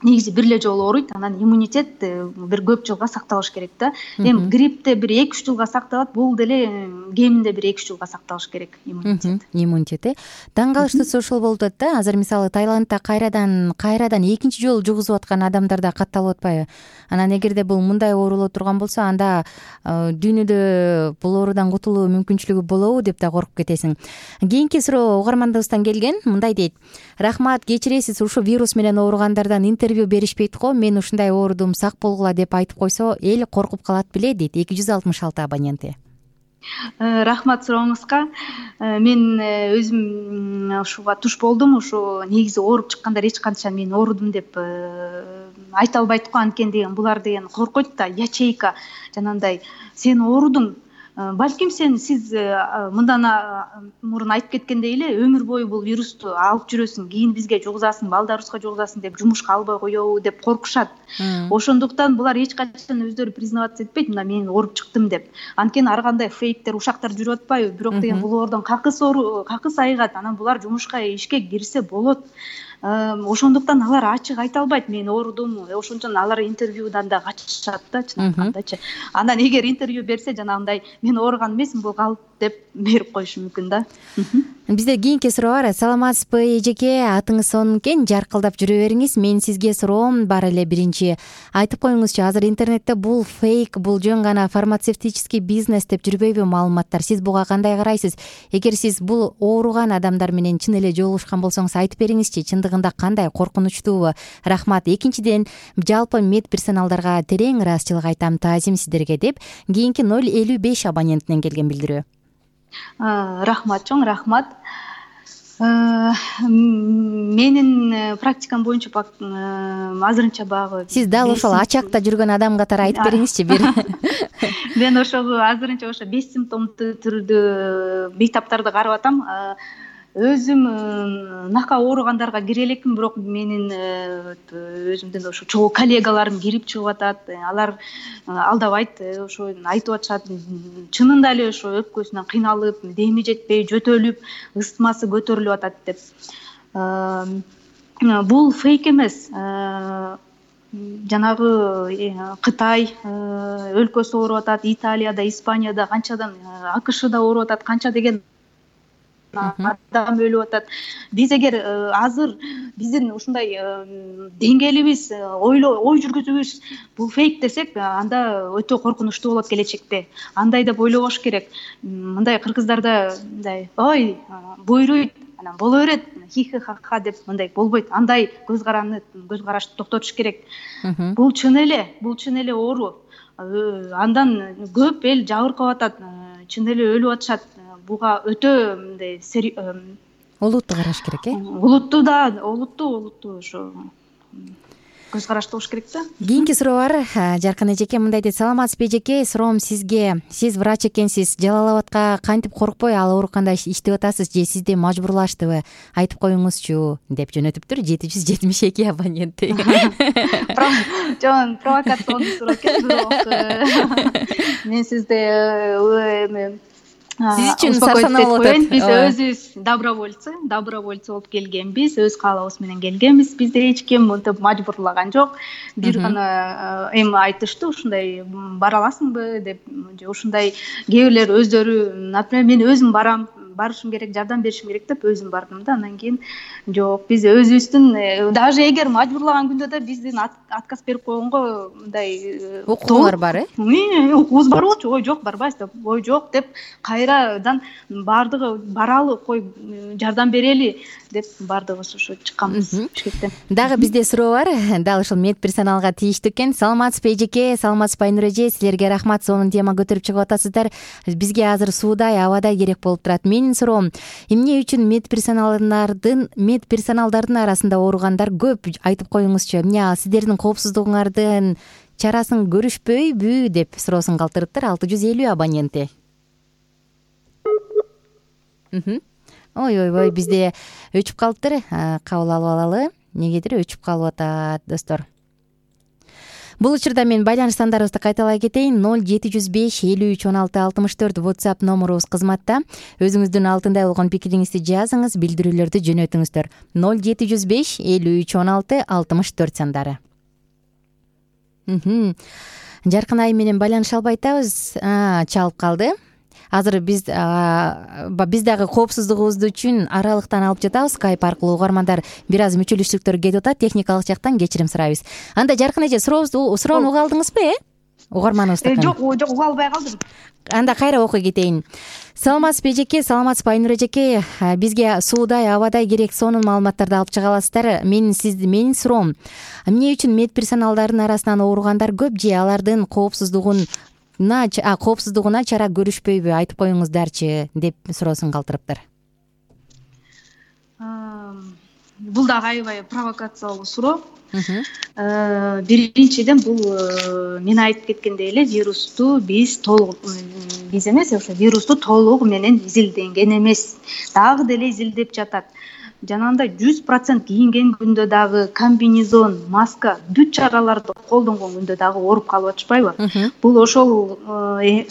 S5: негизи бир эле жолу ооруйт, анан иммунитет бир көп жылга сакталыш керек да. Эми гриппте бир эки үч жылга сакталат, бул деле кеминде бир эки үч жылга сакталыш керек иммунитет.
S3: Иммунитет э. Таң калыштуусу ошол болуп атат да. Азыр мисалы Таиландда кайрадан кайрадан экинчи жолу жугузуп аткан адамдарда катталып атпайбы? Анан эгерде бул мындай оорулоо турган болсо, анда дүйнөдө бул оорудан кутулуу мүмкүнчүлүгү болобу деп да коркуп кетесиң. Кийинки суроо угармандыбыздан келген. Мындай дейт: рахмат, кечиресиз, ушул вирус менен ооругандардан интервью беришпейт го. Мен ушундай оорудум, сак болгула деп айтып койсо, эл коркуп калат беле дейт эки жүз алтымыш алты абоненти.
S5: Рахмат сурооңузга. Мен өзүм ушуга туш болдум. Ушу негизи ооруп чыккандар эч канча мен оорудум деп айта албайт го, анткени деген булар деген коркойт да, ячейка жанагындай сен оорудуң. Балким сен сиз мындан мурун айтып кеткендей эле өмүр бою бул вирусту алып жүрөсүң, кийин бизге жугузасың, балдарыбызга жугузасың деп жумушка албай коебу деп коркушат. Ошондуктан булар эч качан өздөрү признаваться этпейт, мына мен ооруп чыктым деп. Анткени ар кандай фейктер, ушактар жүрүп атпайбы? Бирок деген бул оорудон какыс оору, какыс айыгат, анан булар жумушка, ишке кирсе болот. Ошондуктан алар ачык айта албайт, мен оорудум. Ошондон алар интервьюдан да качышат да, чынакындачы. Анан эгер интервью берсе, жанагындай мен ооруган эмесмин, бул калп деп берип коюшу мүмкүн да.
S3: Бизде кийинки суроо бар. Саламатсызбы эжеке, атыңыз сонун экен, жаркылдап жүрө бериңиз. Мен сизге суроом бар эле. Биринчи айтып коюңузчу, азыр интернетте бул фейк, бул жөн гана фармацевтический бизнес деп жүрбөйбү маалыматтар? Сиз буга кандай карайсыз? Эгер сиз бул ооруган адамдар менен чын эле жолугушкан болсоңуз айтып бериңизчи, чындыгында кандай, коркунучтуубу? Рахмат. Экинчиден, жалпы мед персоналдарга терең ыраазычылык айтам, таазим сиздерге деп кийинки ноль элүү беш абонентинен келген билдирүү.
S5: Рахмат чоң, рахмат. Менин практикам боюнча азырынча багы
S3: сиз дал ошол ачакта жүргөн адам катары айтып бериңизчи бир.
S5: Мен ошол азырынча ошо беш симптомдуу түрдө бейтаптарды карап атам. Өзүм нака ооругандарга кире элекмин, бирок менин өзүмдөн ошо чогуу коллегаларым кирип чыгып атат. Алар алдабайт, ошо айтып атышат. Чынында эле ошо өпкөсүнөн кыйналып, деми жетпей, жөтөлүп, ысытмасы көтөрүлүп атат деп. Бул фейк эмес. Жанагы Кытай өлкөсү ооруп атат, Италияда, Испанияда, канчадан АКШда ооруп атат, канча деген адам өлүп атат. Биз эгер азыр биздин ушундай деңгээлибиз, ойлоо, ой жүргүзүүбүз бул фейк десек, анда өтө коркунучтуу болот келечекте. Андай деп ойлобош керек. Мындай кыргыздарда мындай, ой, буйруйт, анан боло берет, хи-хи-ха-ха деп мындай болбойт. Андай көз караны, көз карашты токтотуш керек. Бул чын эле, бул чын эле оору. Андан көп эл жабыркап атат, чын эле өлүп атышат. Буга өтө мындай
S3: олуттуу караш керек, э?
S5: Олуттуу да, олуттуу, олуттуу ошо көз карашты болуш керек да.
S3: Кийинки суроо бар. Жаркын эжеке мындай дейт: саламатсызбы эжеке, суроом сизге. Сиз врач экенсиз, Жалал Абадка кантип коркпой ал ооруканда иштеп атасыз же сизди мажбурлаштыбы? Айтып коюңузчу деп жөнөтүптүр жети жүз жетимиш эки абоненти.
S5: Жон, провокационный суроо экен, бирок мен сизде
S3: сиз үчүн сарсанаа болуп атат.
S5: Биз өзүбүз добровольцы, добровольцы болуп келгенбиз, өз каалабыбыз менен келгенбиз. Бизде эч ким мынтип мажбурлаган жок. Бир гана эми айтышты, ушундай бара аласыңбы деп, же ушундай кээ бирлер өздөрү, например, мен өзүм барам, барышым керек, жардам беришим керек деп өзүм бардым да. Андан кийин жок, биз өзүбүздүн даже эгер мажбурлаган күндө да биздин отказ берип койгонго мындай
S3: укугуңар бар э?
S5: Укугубуз бар болчу. Ой жок, барбайбыз деп. Ой жок деп кайрадан бардыгы баралы, кой жардам берели деп бардыгыбыз ошо чыкканбыз Бишкектен.
S3: Дагы бизде суроо бар. Дал ушул медперсоналга тийиштүү экен. Саламатсызбы эжеке, саламатсызбы Айнура эже, силерге рахмат, сонун тема көтөрүп чыгып атасыздар. Бизге азыр суудай, абадай керек болуп турат. Менин суроом, эмне үчүн медперсоналдардын медперсоналдардын арасында ооругандар көп? Айтып коюңузчу. Эмне сиздердин коопсуздугуңардын чарасын көрүшпөйбү деп суроосун калтырыптыр. алты жүз элүү абоненти. Ой ой ой, бизде өчүп калыптыр. Кабыл алып алалы. Негедир өчүп калып атат, достор. Бул учурда мен байланыш сандарыбызды кайталай кетейин. ноль жети жүз беш элүү үч он алты алтымыш төрт WhatsApp номурубуз кызматта. Өзүңүздүн алтындай болгон пикириңизди жазыңыз, билдирүүлөрдү жөнөтүңүздөр. ноль жети жүз беш элүү үч он алты алтымыш төрт сандары. Жаркын Айым менен байланыша албай атабыз. Чалып калды. Азыр биз биз дагы коопсуздугубуз үчүн аралыктан алып жатабыз. Skype аркылуу угармандар бир аз мүчөлүштүктөр кетип атат. Техникалык жактан кечирим сурайбыз. Анда Жаркын эже, сурообузду суроону уга алдыңызбы, э? Угарманыбызды.
S5: Жок, жок, уга албай калдым.
S3: Анда кайра окуй кетейин. Саламатсызбы эжеке, саламатсызбы Айнура эжеке. Бизге суудай, абадай керек сонун маалыматтарды алып чыга аласыздар. Мен сизди менин суроом, эмне үчүн медперсоналдардын арасынан ооругандар көп же алардын коопсуздугун а коопсуздугуна чара көрүшпөйбү? Айтып коюңуздарчы деп суроосун калтырыптыр.
S5: Бул дагы аябай провокациялуу суроо. Биринчиден, бул мен айтып кеткендей эле вирусту биз толук биз эмес, ошо вирусту толук менен изилденген эмес. Дагы деле изилдеп жатат. Жанагындай жүз процент кийинген күндө дагы комбинезон, маска, бүт чараларды колдонгон күндө дагы ооруп калып атышпайбы? Бул ошол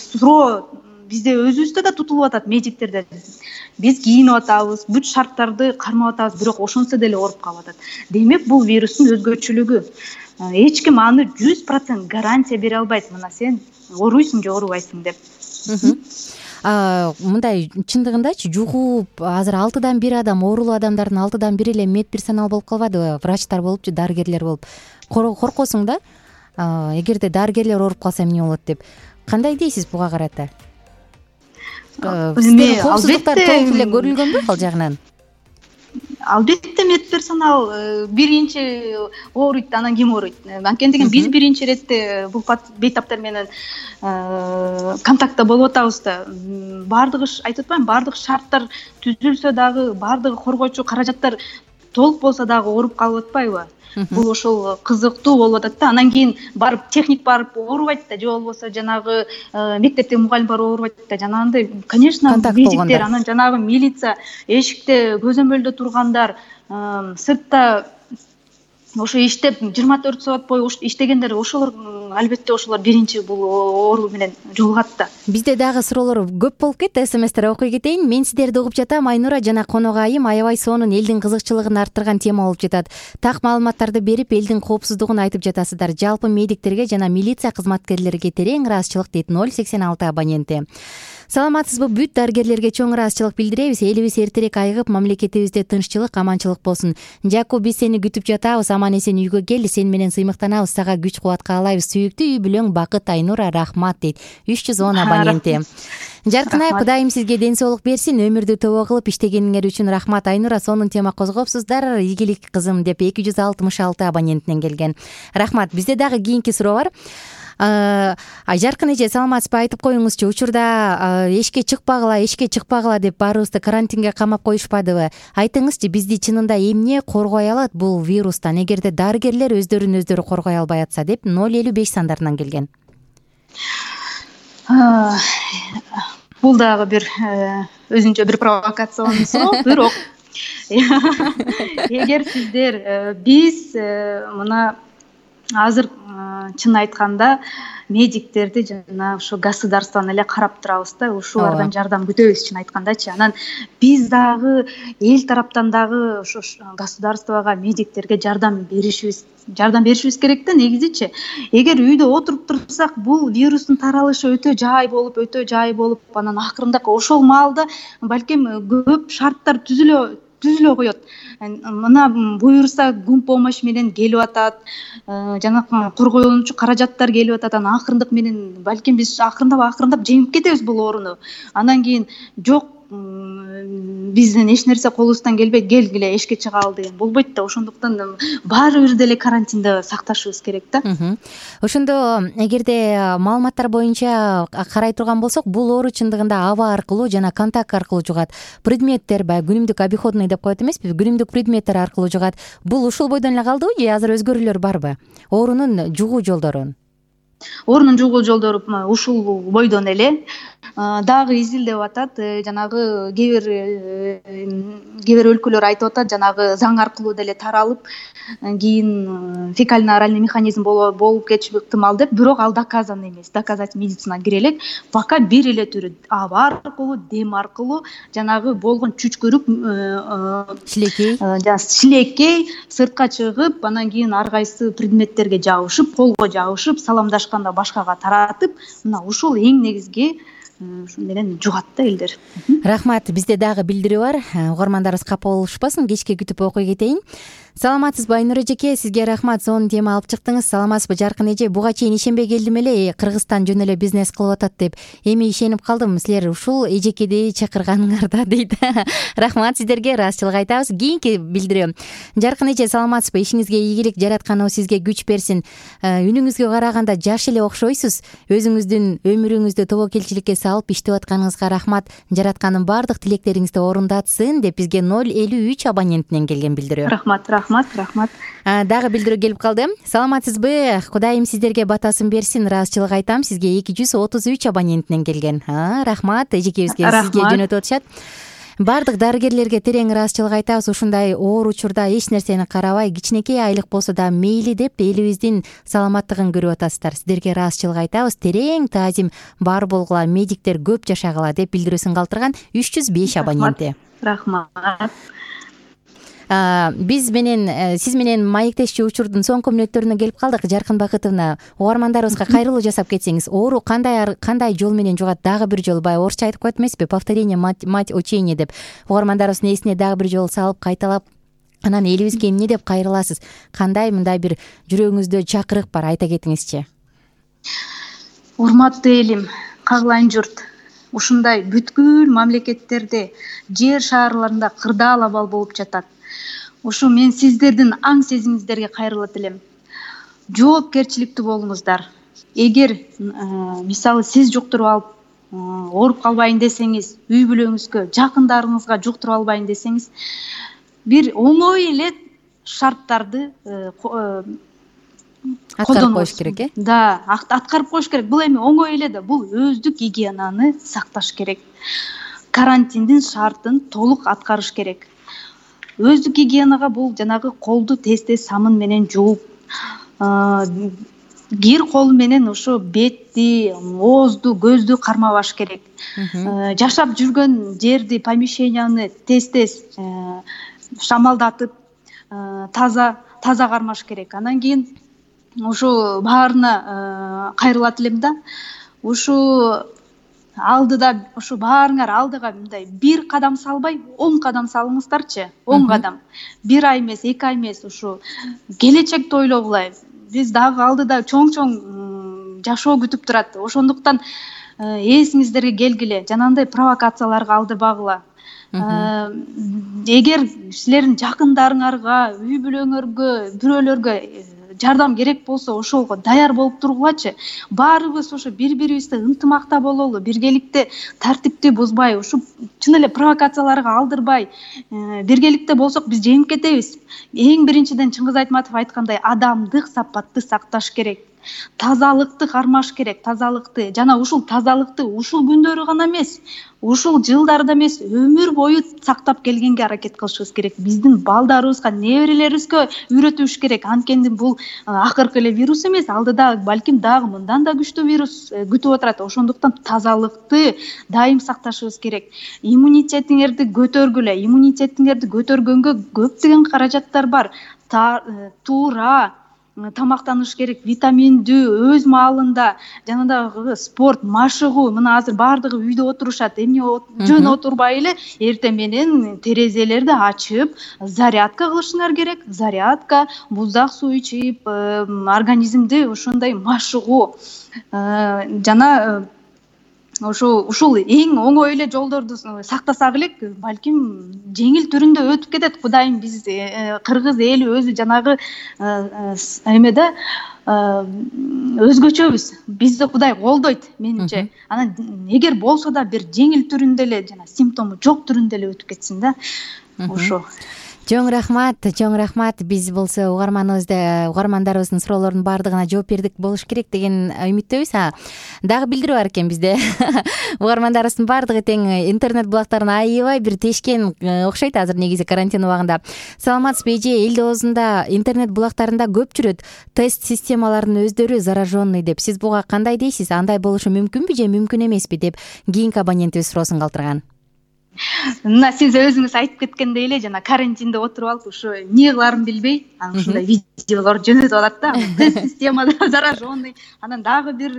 S5: суроо бизде өзүбүздө да тутулуп атат, медиктерде. Биз кийинип атабыз, бүт шарттарды кармап атабыз, бирок ошонсо деле ооруп калып атат. Демек, бул вирустун өзгөчөлүгү. Эч ким аны жүз процент гарантия бере албайт. Мына сен ооруйсуң же оорубайсың деп.
S3: Мындай чындыгындачы жугуп азыр алтыдан бир адам, оорулуу адамдардын алтыдан бири эле медперсонал болуп калбадыбы? Врачтар болупчу, дарыгерлер болуп. Коркосуң да? Эгерде дарыгерлер ооруп калса эмне болот деп. Кандай дейсиз буга карата? Коопсуздуктар толук эле көрүлгөнбү ал жагынан?
S5: Албетте медперсонал биринчи ооруйт, анан ким ооруйт? Анткени деген биз биринчи иретте бул бейтаптар менен контактта болуп атабыз да. Бардыгы айтып атпаймынбы, бардык шарттар түзүлсө дагы, бардыгы коргоочу каражаттар толук болсо дагы ооруп калып атпайбы? Бул ошол кызыктуу болуп атат да. Анан кийин барып техник барып оорубайт да, же болбосо жанагы мектептеги мугалим барып оорубайт да. Жанагындай, конечно, медиктер, анан жанагы милиция, эшикте көзөмөлдө тургандар, сыртта ошо иштеп жыйырма төрт саат бою иштегендер, ошолор албетте ошолор биринчи бул оору менен жолугат да.
S3: Бизде дагы суроолор көп болуп кетти. СМСтер окуй кетейин. Мен сиздерди угуп жатам. Айнура жана конок айым аябай сонун, элдин кызыкчылыгын арттырган тема болуп жатат. Так маалыматтарды берип, элдин коопсуздугун айтып жатасыздар. Жалпы медиктерге жана милиция кызматкерлерге терең ыраазычылык дейт ноль сексен алты абоненти. Саламатсызбы? Бүт дарыгерлерге чоң ыраазычылык билдиребиз. Элибиз эртерээк айыгып, мамлекетибизде тынччылык, аманчылык болсун. Жаку, биз сени күтүп жатабыз. Аман эсен үйгө кел, сен менен сыймыктанабыз. Сага күч кубат каалайбыз. Сүйүктүү үй бүлөң бакыт, Айнура, рахмат дейт. үч жүз он абоненти. Жаркын Айым, Кудайым сизге ден соолук берсин, өмүрдү тобо кылып иштегениңер үчүн рахмат. Айнура, сонун тема козгопсуздар. Ийгилик кызым деп эки жүз алтымыш алты абонентинен келген. Рахмат. Бизде дагы кийинки суроо бар. Жаркын эже, саламатсызбы? Айтып коюңузчу, учурда эшикке чыкпагыла, эшикке чыкпагыла деп баарыбызды карантинге камап коюшпадыбы? Айтыңызчы, бизди чынында эмне коргой алат бул вирустан, эгерде дарыгерлер өздөрүн өздөрү коргой албай атса деп ноль элүү беш сандарынан келген.
S5: Бул дагы бир өзүнчө бир провокациялуу суроо, бирок эгер сиздер биз мына азыр чын айтканда медиктерди жана ошо государствону эле карап турабыз да, ушулардан жардам күтөбүз чын айткандачы. Анан биз дагы эл тараптан дагы ошо государствого, медиктерге жардам беришибиз жардам беришибиз керек да. Негизичи эгер үйдө отуруп турсак, бул вирустун таралышы өтө жай болуп, өтө жай болуп, анан акырында ошол маалда балким көп шарттар түзүлө түзүлө коет. Мына буюрса гум помощь менен келип атат, жана коргоончу каражаттар келип атат. Анан акырындык менен балким биз акырындап акырындап жеңип кетебиз бул ооруну. Анан кийин жок, бизден эч нерсе колубуздан келбейт, келгиле эшикке чыгалы деген болбойт да. Ошондуктан баары бир деле карантинде сакташыбыз керек да.
S3: Ошондо эгерде маалыматтар боюнча карай турган болсок, бул оору чындыгында аба аркылуу жана контакт аркылуу жугат. Предметтер баягы күнүмдүк обиходный деп коет эмеспи, күнүмдүк предметтер аркылуу жугат. Бул ушул бойдон эле калдыбы же азыр өзгөрүүлөр барбы? Оорунун жугуу жолдорун
S5: Оорунун жугуу жолдору ушул бойдон эле дагы изилдеп атат. Жанагы кээ бир кээ бир өлкөлөр айтып атат, жанагы заң аркылуу деле таралып, кийин фекально-оральный механизм болуп кетиши ыктымал деп. Бирок ал доказан эмес. Доказать медицинага кире элек. Пока бир эле түрү аба аркылуу, дем аркылуу, жанагы болгон чүчкүрүк,
S3: шилекей,
S5: жана шилекей сыртка чыгып, анан кийин ар кайсы предметтерге жабышып, колго жабышып, саламдашканда башкага таратып, мына ушул эң негизги ушун менен жугат да элдер.
S3: Рахмат. Бизде дагы билдирүү бар. Угармандарыбыз капа болушпасын, кечке күтүп окуй кетейин. Саламатсызбы Айнура эжеке, сизге рахмат. Сонун тема алып чыктыңыз. Саламатсызбы Жаркын эже? Буга чейин ишенбей келдим эле, Кыргызстан жөн эле бизнес кылып атат деп. Эми ишенип калдым, силер ушул эжекеди чакырганыңарда дейт. Рахмат сиздерге, ыраазычылык айтабыз. Кийинки билдирүү. Жаркын эже, саламатсызбы? Ишиңизге ийгилик, жараткан сизге күч берсин. Үнүңүзгө караганда жаш эле окшойсуз. Өзүңүздүн өмүрүңүздү тобокелчиликке салып иштеп атканыңызга рахмат. Жаратканын баардык тилектериңизди орундатсын деп бизге ноль элүү үч абонентинен келген билдирүү.
S5: Рахмат, рахмат, рахмат.
S3: Дагы билдирүү келип калды. Саламатсызбы? Кудайым сиздерге батасын берсин. Ыраазычылык айтам. Сизге эки жүз отуз үч абонентинен келген. Рахмат эжекебизге, сизге жөнөтүп атышат. Бардык дарыгерлерге терең ыраазычылык айтабыз. Ушундай оор учурда эч нерсени карабай, кичинекей айлык болсо да мейли деп элибиздин саламаттыгын көрүп атасыздар. Сиздерге ыраазычылык айтабыз. Терең таазим бар болгула, медиктер көп жашагыла деп билдирүүсүн калтырган үч жүз беш абоненти.
S5: Рахмат.
S3: Биз менен сиз менен маектешчү учурдун соңку мүнөттөрүнө келип калдык. Жаркын Бакытовна, угармандарыбызга кайрылуу жасап кетсеңиз, оору кандай кандай жол менен жугат? Дагы бир жолу баягы орусча айтып коет эмеспи? Повторение мать учения деп. Угармандарыбыздын эсине дагы бир жолу салып, кайталап, анан элибизге эмне деп кайрыласыз? Кандай мындай бир жүрөгүңүздө чакырык бар, айта кетиңизчи.
S5: Урматтуу элим, кагылайын журт. Ушундай бүткүл мамлекеттерде, жер шаарларында кырдаал абал болуп жатат. Ушу мен сиздердин аң сезимиңиздерге кайрылат элем. Жоопкерчиликтүү болуңуздар. Эгер мисалы сиз жуктуруп алып ооруп калбайын десеңиз, үй бүлөңүзгө, жакындарыңызга жуктуруп албайын десеңиз, бир оңой эле шарттарды
S3: аткарып коюш керек, э?
S5: Да, аткарып коюш керек. Бул эми оңой эле да, бул өздүк гигиенаны сакташ керек. Карантиндин шартын толук аткарыш керек. Өздүк гигиенага бул жанагы колду тез-тез самын менен жууп, кир кол менен ошо бетти, оозду, көздү кармабаш керек. Жашап жүргөн жерди, помещенияны тез-тез шамалдатып, таза таза кармаш керек. Анан кийин ушу баарына кайрылат элем да. Ушу алдыда, ушу баарыңар алдыга мындай бир кадам салбай, он кадам салыңыздарчы. он кадам. Бир ай эмес, эки ай эмес, ушу келечекти ойлогула. Биз дагы алдыда чоң-чоң жашоо күтүп турат. Ошондуктан эсиңиздерге келгиле, жанагындай провокацияларга алдырбагыла. Эгер силердин жакындарыңарга, үй бүлөңөргө, бирөөлөргө жардам керек болсо, ошого даяр болуп тургулачы. Баарыбыз ошо бири-бирибизди ынтымакта бололу, биргеликте тартипти бузбай, ушу чын эле провокацияларга алдырбай, биргеликте болсок биз жеңип кетебиз. Эң биринчиден Чыңгыз Айтматов айткандай, адамдык сапатты сакташ керек. тазалыкты кармаш керек, тазалыкты жана ушул тазалыкты ушул күндөрү гана эмес, ушул жылдарда эмес, өмүр бою сактап келгенге аракет кылышыбыз керек. Биздин балдарыбызга, неберелерибизге үйрөтүш керек. Анткени бул акыркы эле вирус эмес, алдыда балким дагы мындан да күчтүү вирус күтүп отурат. Ошондуктан тазалыкты дайым сакташыбыз керек. Иммунитетиңерди көтөргүлө. Иммунитетиңерди көтөргөнгө көптөгөн каражаттар бар. Туура тамактаныш керек, витаминдүү, өз маалында, жанагы спорт, машыгуу. Мына азыр баардыгы үйдө отурушат. Эмне жөн отурбай эле эртең менен терезелерди ачып, зарядка кылышыңар керек. Зарядка, буздак суу ичип, организмди ошондой машыгуу жана ошо ушул эң оңой эле жолдорду сактасак элек, балким жеңил түрүндө өтүп кетет. Кудайым биз кыргыз эли өзү жанагы эмеде өзгөчөбүз. Бизди Кудай колдойт менимче. Анан эгер болсо да бир жеңил түрүндө эле, жана симптому жок түрүндө эле өтүп кетсин да. Ошо.
S3: Чоң рахмат, чоң рахмат. Биз болсо угарманыбызды, угармандарыбыздын суроолорунун баардыгына жооп бердик болуш керек деген үмүттөбүз. Дагы билдирүү бар экен бизде. Угармандарыбыздын баардыгы тең интернет булактарын аябай бир тешкен окшойт азыр негизи карантин убагында. Саламатсызбы эже? Эл оозунда интернет булактарында көп жүрөт. Тест системаларынын өздөрү зараженный деп. Сиз буга кандай дейсиз? Андай болушу мүмкүнбү же мүмкүн эмеспи деп кийинки абонентибиз суроосун калтырган.
S5: Мына сиз өзүңүз айтып кеткендей эле, жана карантинде отуруп алып ушу эмне кыларын билбей, анан ушундай видеолор жөнөтүп атат да. Тест системада зараженный, анан дагы бир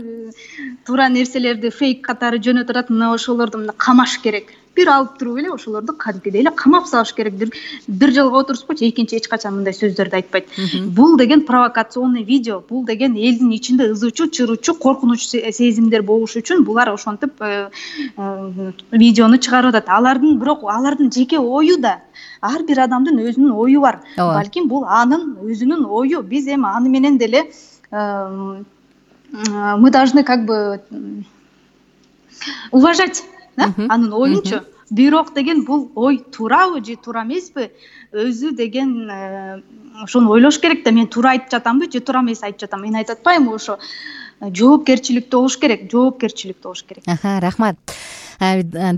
S5: туура нерселерди фейк катары жөнөтүп атат. Мына ошолорду мына камаш керек. Бир алып туруп эле ошолорду кадимгидей эле камап салыш керек. Бир бир жылга отурсупчу, экинчи эч качан мындай сөздөрдү айтпайт. Бул деген провокационный видео, бул деген элдин ичинде ызычуу, чырычуу, коркунуч сезимдер болуш үчүн булар ошентип видеону чыгарып атат. Алардын бирок алардын жеке ою да, ар бир адамдын өзүнүн ою бар. Балким бул анын өзүнүн ою. Биз эми аны менен деле мы должны как бы уважать анын оюнчу. Бирок деген бул ой туурабы же туура эмеспи? Өзү деген ошону ойлош керек да. Мен туура айтып жатамбы же туура эмес айтып жатам? Мен айтып атпаймынбы? Ошо жоопкерчиликтүү болуш керек, жоопкерчиликтүү болуш керек.
S3: Аха, рахмат.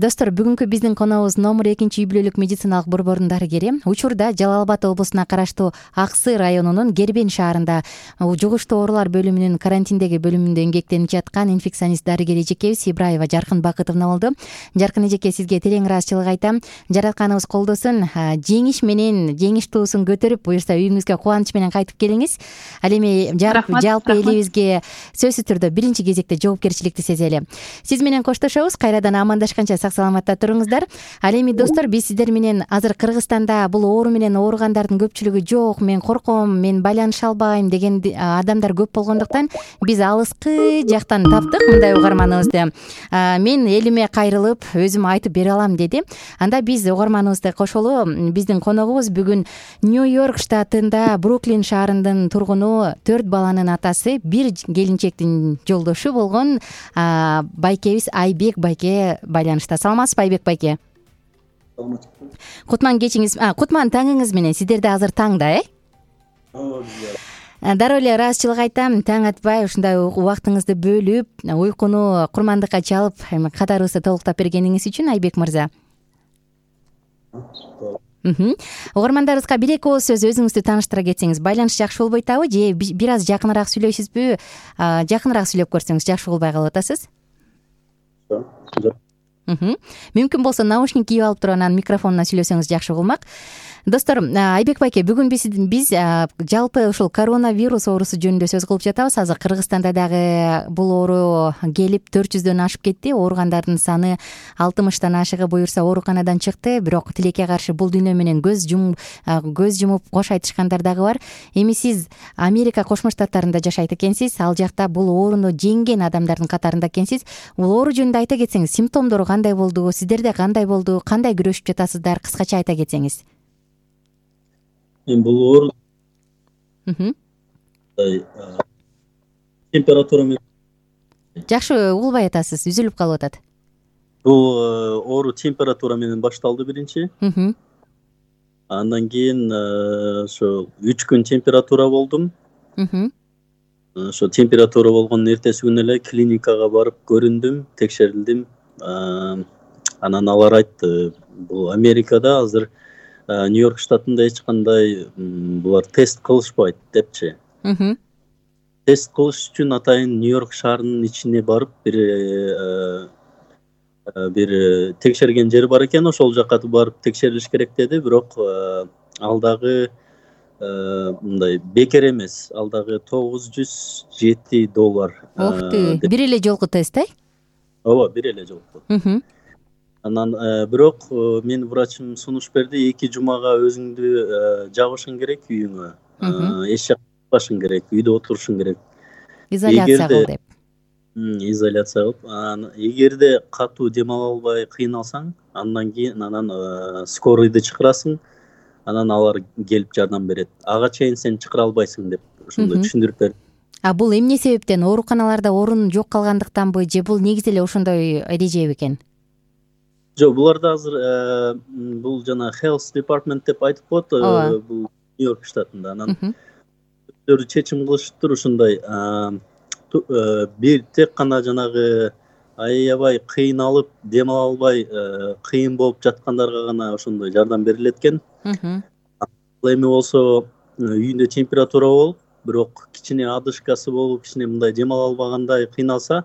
S3: Достор, бүгүнкү биздин коногубуз номер экинчи үй бүлөлүк медициналык борбордун дарыгери. Учурда Жалал Абад облусуна караштуу Ак Сый районунун Гербен шаарында жугуштуу оорулар бөлүмүнүн карантиндеги бөлүмүндө эмгектенип жаткан инфекционист дарыгер эжекебиз Ибраева Жаркын Бакытовна болду. Жаркын эжеке, сизге терең ыраазычылык айтам. Жаратканыбыз колдосун, жеңиш менен жеңиш туусун көтөрүп, буюрса үйүңүзгө кубаныч менен кайтып келиңиз. Ал эми жалпы элибизге сөзсүз түрдө биринчи кезекте жоопкерчиликти сезели. Сиз менен коштошобуз. Кайрадан амандашканча сак саламатта туруңуздар. Ал эми достор, биз сиздер менен азыр Кыргызстанда бул оору менен ооругандардын көпчүлүгү жок, мен корком, мен байланыша албайм деген адамдар көп болгондуктан биз алыскы жактан таптык мындай угарманыбызды. Мен элиме кайрылып өзүм айтып бере алам деди. Анда биз угарманыбызды кошолу. Биздин коногубуз бүгүн Нью-Йорк штатында Бруклин шаарынын тургуну, төрт баланын атасы, бир келинчектин жолдошу болгон байкебиз Айбек байке байланышта. Саламатсызбы Айбек байке?
S6: Саламатсызбы.
S3: Кутман кечиңиз, кутман таңыңыз менен. Сиздерде азыр таңда, э? Дароо эле ыраазычылык айтам. Таң атпай ушундай убактыңызды бөлүп, уйкуну курмандыкка чалып, катарыбызды толуктап бергениңиз үчүн Айбек мырза. Угармандарыбызга бир эки ооз сөз өзүңүздү тааныштыра кетсеңиз, байланыш жакшы болбой атабы же бир аз жакыныраак сүйлөйсүзбү? Жакыныраак сүйлөп көрсөңүз жакшы болбой калып атасыз. Мүмкүн болсо наушник кийип алып туруп анан микрофонуна сүйлөсөңүз жакшы болмак. Достор, Айбек байке, бүгүн биз биз жалпы ушул коронавирус оорусу жөнүндө сөз кылып жатабыз. Азыр Кыргызстанда дагы бул оору келип төрт жүздөн ашып кетти. Ооругандардын саны алтымыштан ашыгы буюрса ооруканадан чыкты. Бирок тилекке каршы бул дүйнө менен көз жум көз жумуп кош айтышкандар дагы бар. Эми сиз Америка Кошмо Штаттарында жашайт экенсиз. Ал жакта бул ооруну жеңген адамдардын катарында экенсиз. Бул оору жөнүндө айта кетсеңиз, симптомдору кандай болду? Сиздерде кандай болду? Кандай күрөшүп жатасыздар? Кыскача айта кетсеңиз.
S6: Мен бул оору температура менен
S3: жакшы угулбай атасыз, үзүлүп калып атат.
S6: Бул оору температура менен башталды биринчи. Андан кийин ошо үч күн температура болдум. ошо температура болгондун эртеси күнү эле клиникага барып көрүндүм, текшерилдим. Анан алар айтты, бул Америкада азыр Нью-Йорк штатында эч кандай булар тест кылышпайт депчи. Тест кылыш үчүн атайын Нью-Йорк шаарынын ичине барып бир бир текшерген жер бар экен, ошол жака барып текшерилиш керек деди. Бирок ал дагы мындай бекер эмес. Ал дагы тогуз жүз жети доллар.
S3: Ох ты, бир эле жолку тест, э?
S6: Ооба, бир эле жолку. Анан бирок менин врачым сунуш берди, эки жумага өзүңдү жабышың керек үйүңө. Эч жакка чыкпашың керек, үйдө отурушуң керек.
S3: Изоляция кыл деп.
S6: Изоляция кылып, эгерде катуу дем ала албай кыйналсаң, андан кийин анан скорыйды чакырасың, анан алар келип жардам берет. Ага чейин сен чакыра албайсың деп ошондой түшүндүрүп берди.
S3: А бул эмне себептен? Ооруканаларда орун жок калгандыктанбы же бул негизи эле ошондой эреже бекен?
S6: Жок, буларда азыр бул жана Health Department деп айтып коет, бул Нью-Йорк штатында. Анан өздөрү чечим кылышыптыр ушундай. Бир тек гана жанагы аябай кыйналып, дем ала албай, кыйын болуп жаткандарга гана ошондой жардам берилет экен. Ал эми болсо үйүндө температура болуп, бирок кичине одышкасы болуп, кичине мындай дем ала албагандай кыйналса,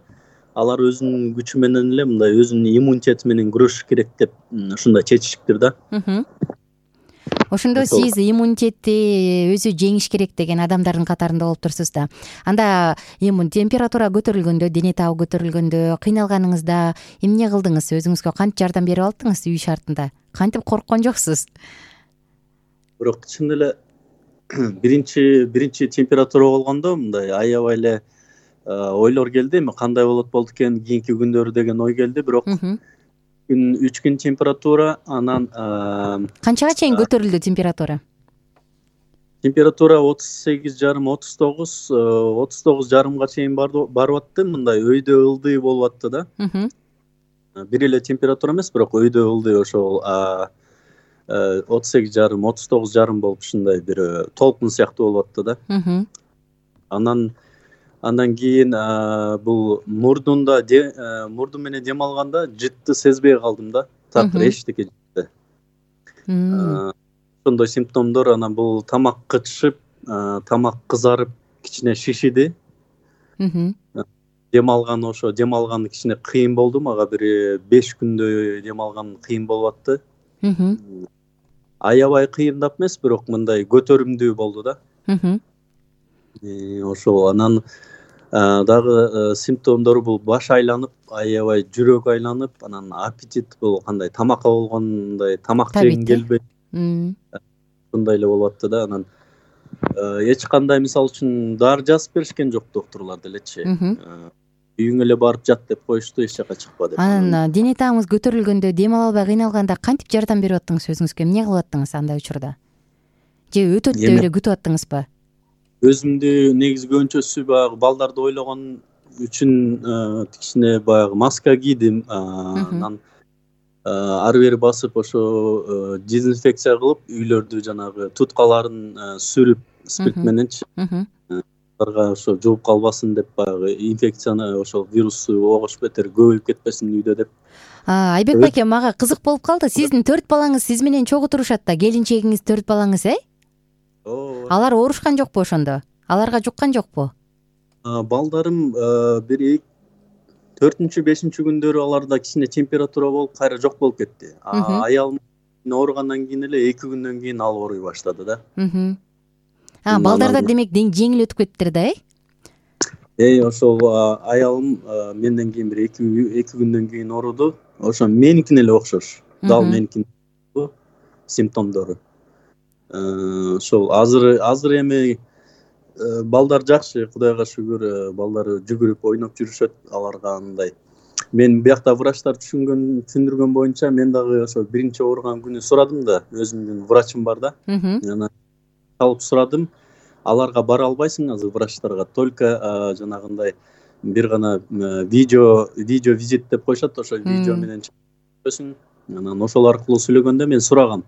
S6: алар өзүнүн күчү менен эле мындай өзүнүн иммунитети менен күрөшүш керек деп ушундай чечишиптир да.
S3: Ошондо сиз иммунитетти өзү жеңиш керек деген адамдардын катарында болуп турсуз да. Анда эми температура көтөрүлгөндө, дене табы көтөрүлгөндө, кыйналганыңызда эмне кылдыңыз? Өзүңүзгө кантип жардам берип алдыңыз үй шартында? Кантип корккон жоксуз?
S6: Бирок чын эле биринчи биринчи температура болгондо мындай аябай эле ойлор келди, эми кандай болот болду экен кийинки күндөрү деген ой келди. Бирок үч күн температура, анан
S3: канчага чейин көтөрүлдү температура?
S6: Температура отуз сегиз жарым, отуз тогуз, отуз тогуз жарымга чейин барып атты. Мындай өйдө ылдый болуп атты да. Бир эле температура эмес, бирок өйдө ылдый ошол отуз сегиз жарым, отуз тогуз жарым болуп ушундай бир толкун сыяктуу болуп атты да. Анан Андан кийин бул мурдунда мурду менен дем алганда жытты сезбей калдым да. Такыр эчтеке жытты. Ошондой симптомдор. Анан бул тамак кычышып, тамак кызарып, кичине шишиди. Дем алган ошо дем алган кичине кыйын болду. Мага бир беш күндөй дем алган кыйын болуп атты. Аябай кыйындап эмес, бирок мындай көтөрүмдүү болду да. Ошол анан дагы симптомдору бул баш айланып, аябай жүрөк айланып, анан аппетит бул кандай тамакка болгондой тамак жегиң келбей. Ушундай эле болуп атты да. Анан эч кандай мисалы үчүн дары жазып беришкен жок докторлор делечи. Үйүңө эле барып жат деп коюшту, эч жака чыкпа деп.
S3: Анан дене табыңыз көтөрүлгөндө, дем ала албай кыйналганда кантип жардам берип аттыңыз өзүңүзгө? Эмне кылып аттыңыз андай учурда? Же өтөт деп эле күтүп аттыңызбы?
S6: Өзүмдү негизи көбүнчөсү баягы балдарды ойлогон үчүн кичине баягы маска кийдим. Анан ары бери басып ошо дезинфекция кылып, үйлөрдү жанагы туткаларын сүрүп спирт мененчи. Аларга ошо жугуп калбасын деп, баягы инфекцияны ошол вирусту огош бетер көбөйүп кетпесин үйдө деп.
S3: Айбек байке, мага кызык болуп калды. Сиздин төрт балаңыз сиз менен чогуу турушат да, келинчегиңиз төрт балаңыз, э? Алар оорушкан жокпу ошондо? Аларга жуккан жокпу?
S6: Балдарым бир төртүнчү, бешинчи күндөрү аларда кичине температура болуп, кайра жок болуп кетти. Аялым ооругандан кийин эле эки күндөн кийин ал ооруй баштады да.
S3: А, балдарда демек жеңил өтүп кеттир да, э?
S6: Э, ошол аялым менден кийин бир эки күндөн кийин ооруду. Ошо меникине эле окшош. Дал меникине симптомдору. Ошол азыр азыр эми балдар жакшы, Кудайга шүгүр, балдар жүгүрүп ойноп жүрүшөт. Аларга андай мен биякта врачтар түшүнгөн түшүндүргөн боюнча мен дагы ошо биринчи ооруган күнү сурадым да, өзүмдүн врачым бар да. Анан алып сурадым. Аларга бара албайсың азыр врачтарга, только жанагындай бир гана видео видео визит деп коюшат, ошо видео менен чыгасың. Анан ошол аркылуу сүйлөгөндө мен сурагам.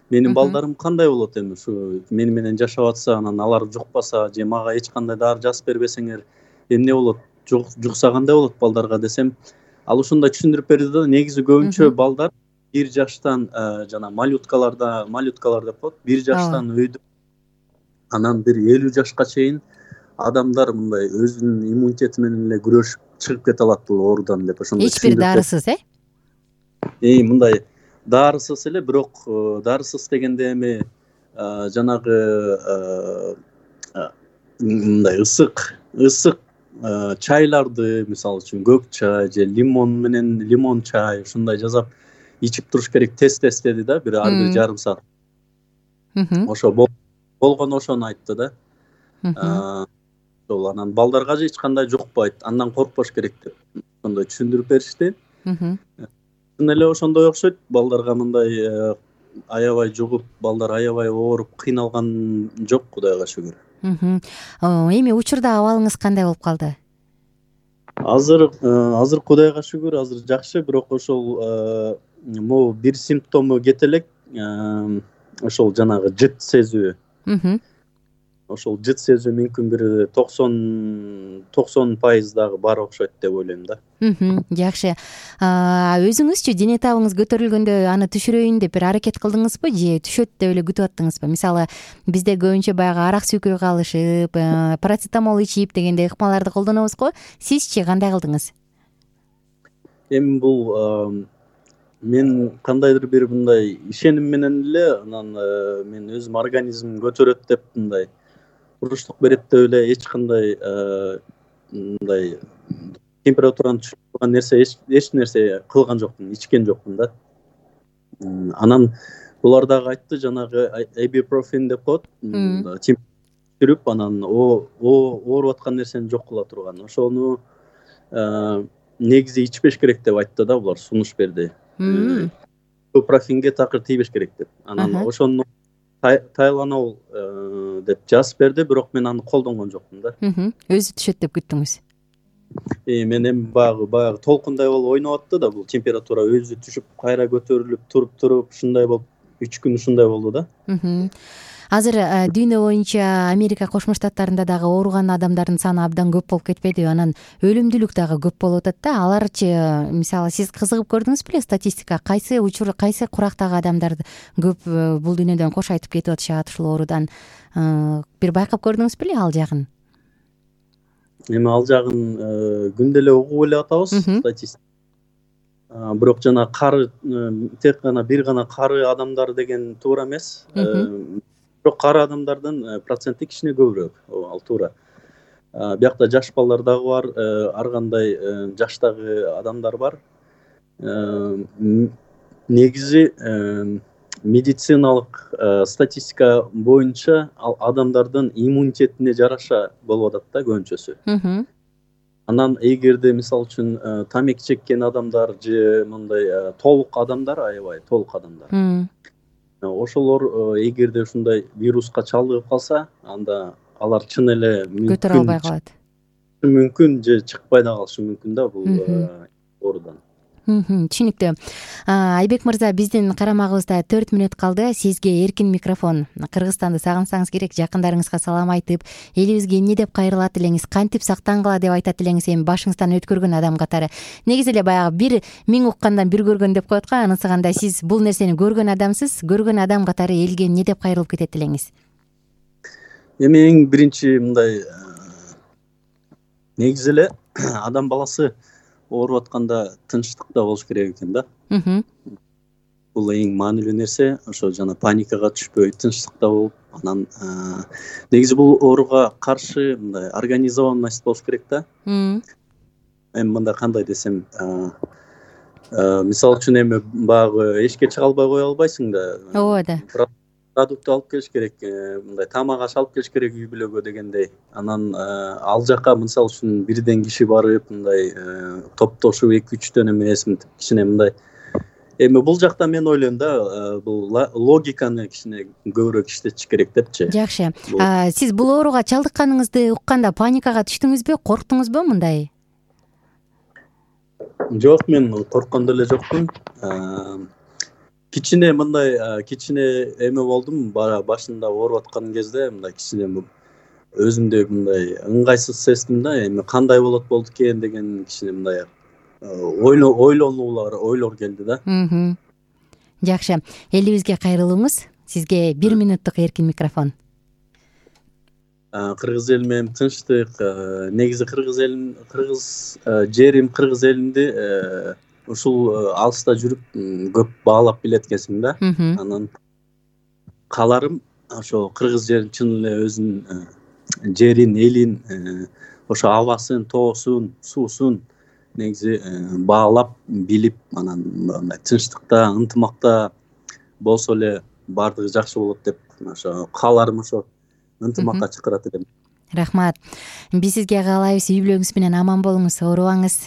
S6: менин балдарым кандай болот эми ушу мени менен жашап атса, анан алар жукпаса же мага эч кандай дары жазып бербесеңер эмне болот, жукса кандай болот балдарга десем, ал ушундай түшүндүрүп берди да. Негизи көбүнчө балдар бир жаштан жана малюткаларда малюткалар деп коет, бир жаштан өйдө анан бир элүү жашка чейин адамдар мындай өзүнүн иммунитети менен эле күрөшүп чыгып кете алат бул оорудан деп ошондой
S3: эч бир дарысыз, э?
S6: Э, мындай дарысыз эле, бирок дарысыз дегенде эми жанагы мындай ысык ысык чайларды, мисалы үчүн көк чай же лимон менен лимон чай ушундай жасап ичип туруш керек. Тест тест деди да, бир ар бир жарым саат. Ошо болгон ошону айтты да. Ошол анан балдарга же эч кандай жукпайт, андан коркпош керек деп ошондой түшүндүрүп беришти. Чын эле ошондой окшойт. Балдарга мындай аябай жугуп, балдар аябай ооруп кыйналган жок, Кудайга шүгүр.
S3: Эми учурда абалыңыз кандай болуп калды?
S6: Азыр азыр Кудайга шүгүр, азыр жакшы, бирок ошол могу бир симптому кете элек, ошол жанагы жыт сезүү. Ошол жыт сезүү мүмкүн бир токсон токсон пайыз дагы бар окшойт деп ойлойм да.
S3: Жакшы. Өзүңүзчү дене табыңыз көтөрүлгөндө аны түшүрөйүн деп бир аракет кылдыңызбы же түшөт деп эле күтүп аттыңызбы? Мисалы, бизде көбүнчө баягы арак сүйкөй калышып, парацетамол ичип дегендей ыкмаларды колдонобуз го. Сизчи кандай кылдыңыз?
S6: Эми бул мен кандайдыр бир мындай ишеним менен эле, анан мен өзүм организмим көтөрөт деп мындай уруштук берет деп эле эч кандай мындай температураны түшүрүп турган нерсе эч нерсе кылган жокмун, ичкен жокмун да. Анан булар дагы айтты, жанагы ибупрофен деп коет, түшүрүп анан ооруп аткан нерсени жок кыла турган. Ошону негизи ичпеш керек деп айтты да, булар сунуш берди. Ибупрофенге такыр тийбеш керек деп. Анан ошону тайланол деп жазып берди, бирок мен аны колдонгон жокмун да.
S3: Өзү түшөт деп күттүңүз?
S6: Э, мен эми баягы баягы толкундай болуп ойноп атты да, бул температура өзү түшүп, кайра көтөрүлүп, туруп туруп ушундай болуп, үч күн ушундай болду да.
S3: Азыр дүйнө боюнча Америка Кошмо Штаттарында дагы ооруган адамдардын саны абдан көп болуп кетпедиби? Анан өлүмдүүлүк дагы көп болуп атат да. Аларчы, мисалы, сиз кызыгып көрдүңүз беле статистика? Кайсы учур, кайсы курактагы адамдар көп бул дүйнөдөн кош айтып кетип атышат ушул оорудан? Бир байкап көрдүңүз беле ал жагын?
S6: Эми ал жагын күндө эле угуп эле атабыз статистика. Бирок жана кары, тек гана бир гана кары адамдар деген туура эмес. Бирок кары адамдардын проценти кичине көбүрөөк, ал туура. Биякта жаш балдар дагы бар, ар кандай жаштагы адамдар бар. Негизи медициналык статистика боюнча ал адамдардын иммунитетине жараша болуп атат да көбүнчөсү. Анан эгерде мисалы үчүн тамеки чеккен адамдар же мындай толук адамдар, аябай толук адамдар, ошолор эгерде ушундай вируска чалдыгып калса, анда алар чын эле
S3: көтөрө албай калат.
S6: Мүмкүн же чыкпай да калышы мүмкүн да бул оорудан.
S3: Түшүнүктүү. Айбек мырза, биздин карамагыбызда төрт мүнөт калды. Сизге эркин микрофон. Кыргызстанды сагынсаңыз керек, жакындарыңызга салам айтып, элибизге эмне деп кайрылат элеңиз, кантип сактангыла деп айтат элеңиз, эми башыңыздан өткөргөн адам катары. Негизи эле баягы бир миң уккандан бир көргөн деп коет го, анысы кандай? Сиз бул нерсени көргөн адамсыз, көргөн адам катары элге эмне деп кайрылып кетет элеңиз?
S6: Эми эң биринчи мындай негизи эле адам баласы ооруп атканда тынчтыкта болуш керек экен да. Бул эң маанилүү нерсе. Ошо жана паникага түшпөй, тынчтыкта болуп, анан негизи бул ооруга каршы мындай организованность болуш керек да. Эми мындай кандай десем, мисалы үчүн эми баягы эшикке чыга албай кое албайсың да.
S3: Ооба да.
S6: Продукт алып келиш керек, мындай тамак аш алып келиш керек үй бүлөгө дегендей. Анан ал жака мисалы үчүн бирден киши барып, мындай топтошуп эки үчтөн эмес, кичине мындай. Эми бул жакта мен ойлойм да, бул логиканы кичине көбүрөөк иштетиш керек депчи.
S3: Жакшы. Сиз бул ооруга чалдыкканыңызды укканда паникага түштүңүзбү, корктуңузбу мындай?
S6: Жок, мен корккон деле жокмун. кичине мындай кичине эме болдум башында ооруп аткан кезде мындай кичине өзүмдө мындай ыңгайсыз сездим да, эми кандай болот болду экен деген кичине мындай ойлонуулар ойлор келди да.
S3: Жакшы, элибизге кайрылыңыз. Сизге бир мүнөттүк эркин микрофон.
S6: Кыргыз эл менен тынчтык, негизи кыргыз элин кыргыз жерим кыргыз элинди ушул алыста жүрүп көп баалап билет экенсиң да. Анан каларым ошо кыргыз жерин чын эле өзүнүн жерин, элин, ошо абасын, тоосун, суусун негизи баалап билип, анан мындай тынчтыкта, ынтымакта болсо эле баардыгы жакшы болот деп ошо кааларым ошо ынтымакка чакырат элем.
S3: Рахмат. Биз сизге каалайбыз, үй бүлөңүз менен аман болуңуз, оорубаңыз,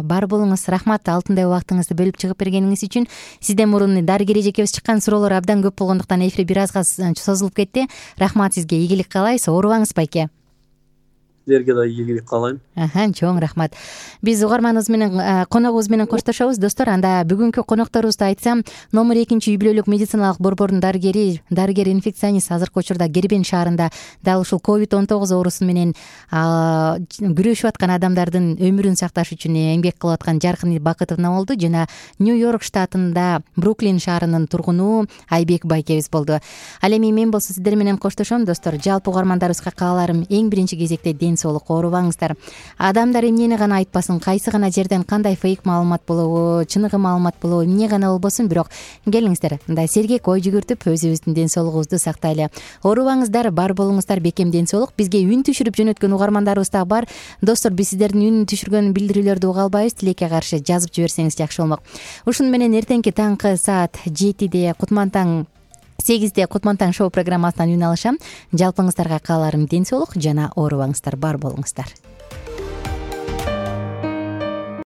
S3: бар болуңуз. Рахмат алтындай убактыңызды бөлүп чыгып бергениңиз үчүн. Сизден мурун дарыгер эжекебиз чыккан суроолор абдан көп болгондуктан эфир бир азга созулуп кетти. Рахмат сизге, ийгилик каалайбыз, оорубаңыз байке.
S6: Силерге да ийгилик каалайм.
S3: Аха, чоң рахмат. Биз угарманыбыз менен, коногубуз менен коштошобуз, достор. Анда бүгүнкү конокторубузду айтсам, номер экинчи үй бүлөлүк медициналык борбордун дарыгери, дарыгер инфекционист, азыркы учурда Кербен шаарында дал ушул ковид он тогуз оорусу менен күрөшүп аткан адамдардын өмүрүн сакташ үчүн эмгек кылып аткан Жаркын Бакытовна болду жана Нью-Йорк штатында Бруклин шаарынын тургуну Айбек байкебиз болду. Ал эми мен болсо сиздер менен коштошом, достор. Жалпы угармандарыбызга кааларым эң биринчи кезекте ден соолук, оорубаңыздар. Адамдар эмнени гана айтпасын, кайсы гана жерден кандай фейк маалымат болобу, чыныгы маалымат болобу, эмне гана болбосун, бирок келиңиздер, мындай сергек ой жүгүртүп өзүбүздүн ден соолугубузду сактайлы. Оорубаңыздар, бар болуңуздар, бекем ден соолук. Бизге үн түшүрүп жөнөткөн угармандарыбыз да бар. Достор, биз сиздердин үн түшүргөн билдирүүлөрдү уга албайбыз. Тилекке каршы жазып жиберсеңиз жакшы болмок. Ушуну менен эртеңки таңкы саат жетиде Кутман таң сегизде Кутман таң шоу программасынан үн алышам. Жалпыңыздарга кааларым ден соолук жана оорубаңыздар, бар болуңуздар.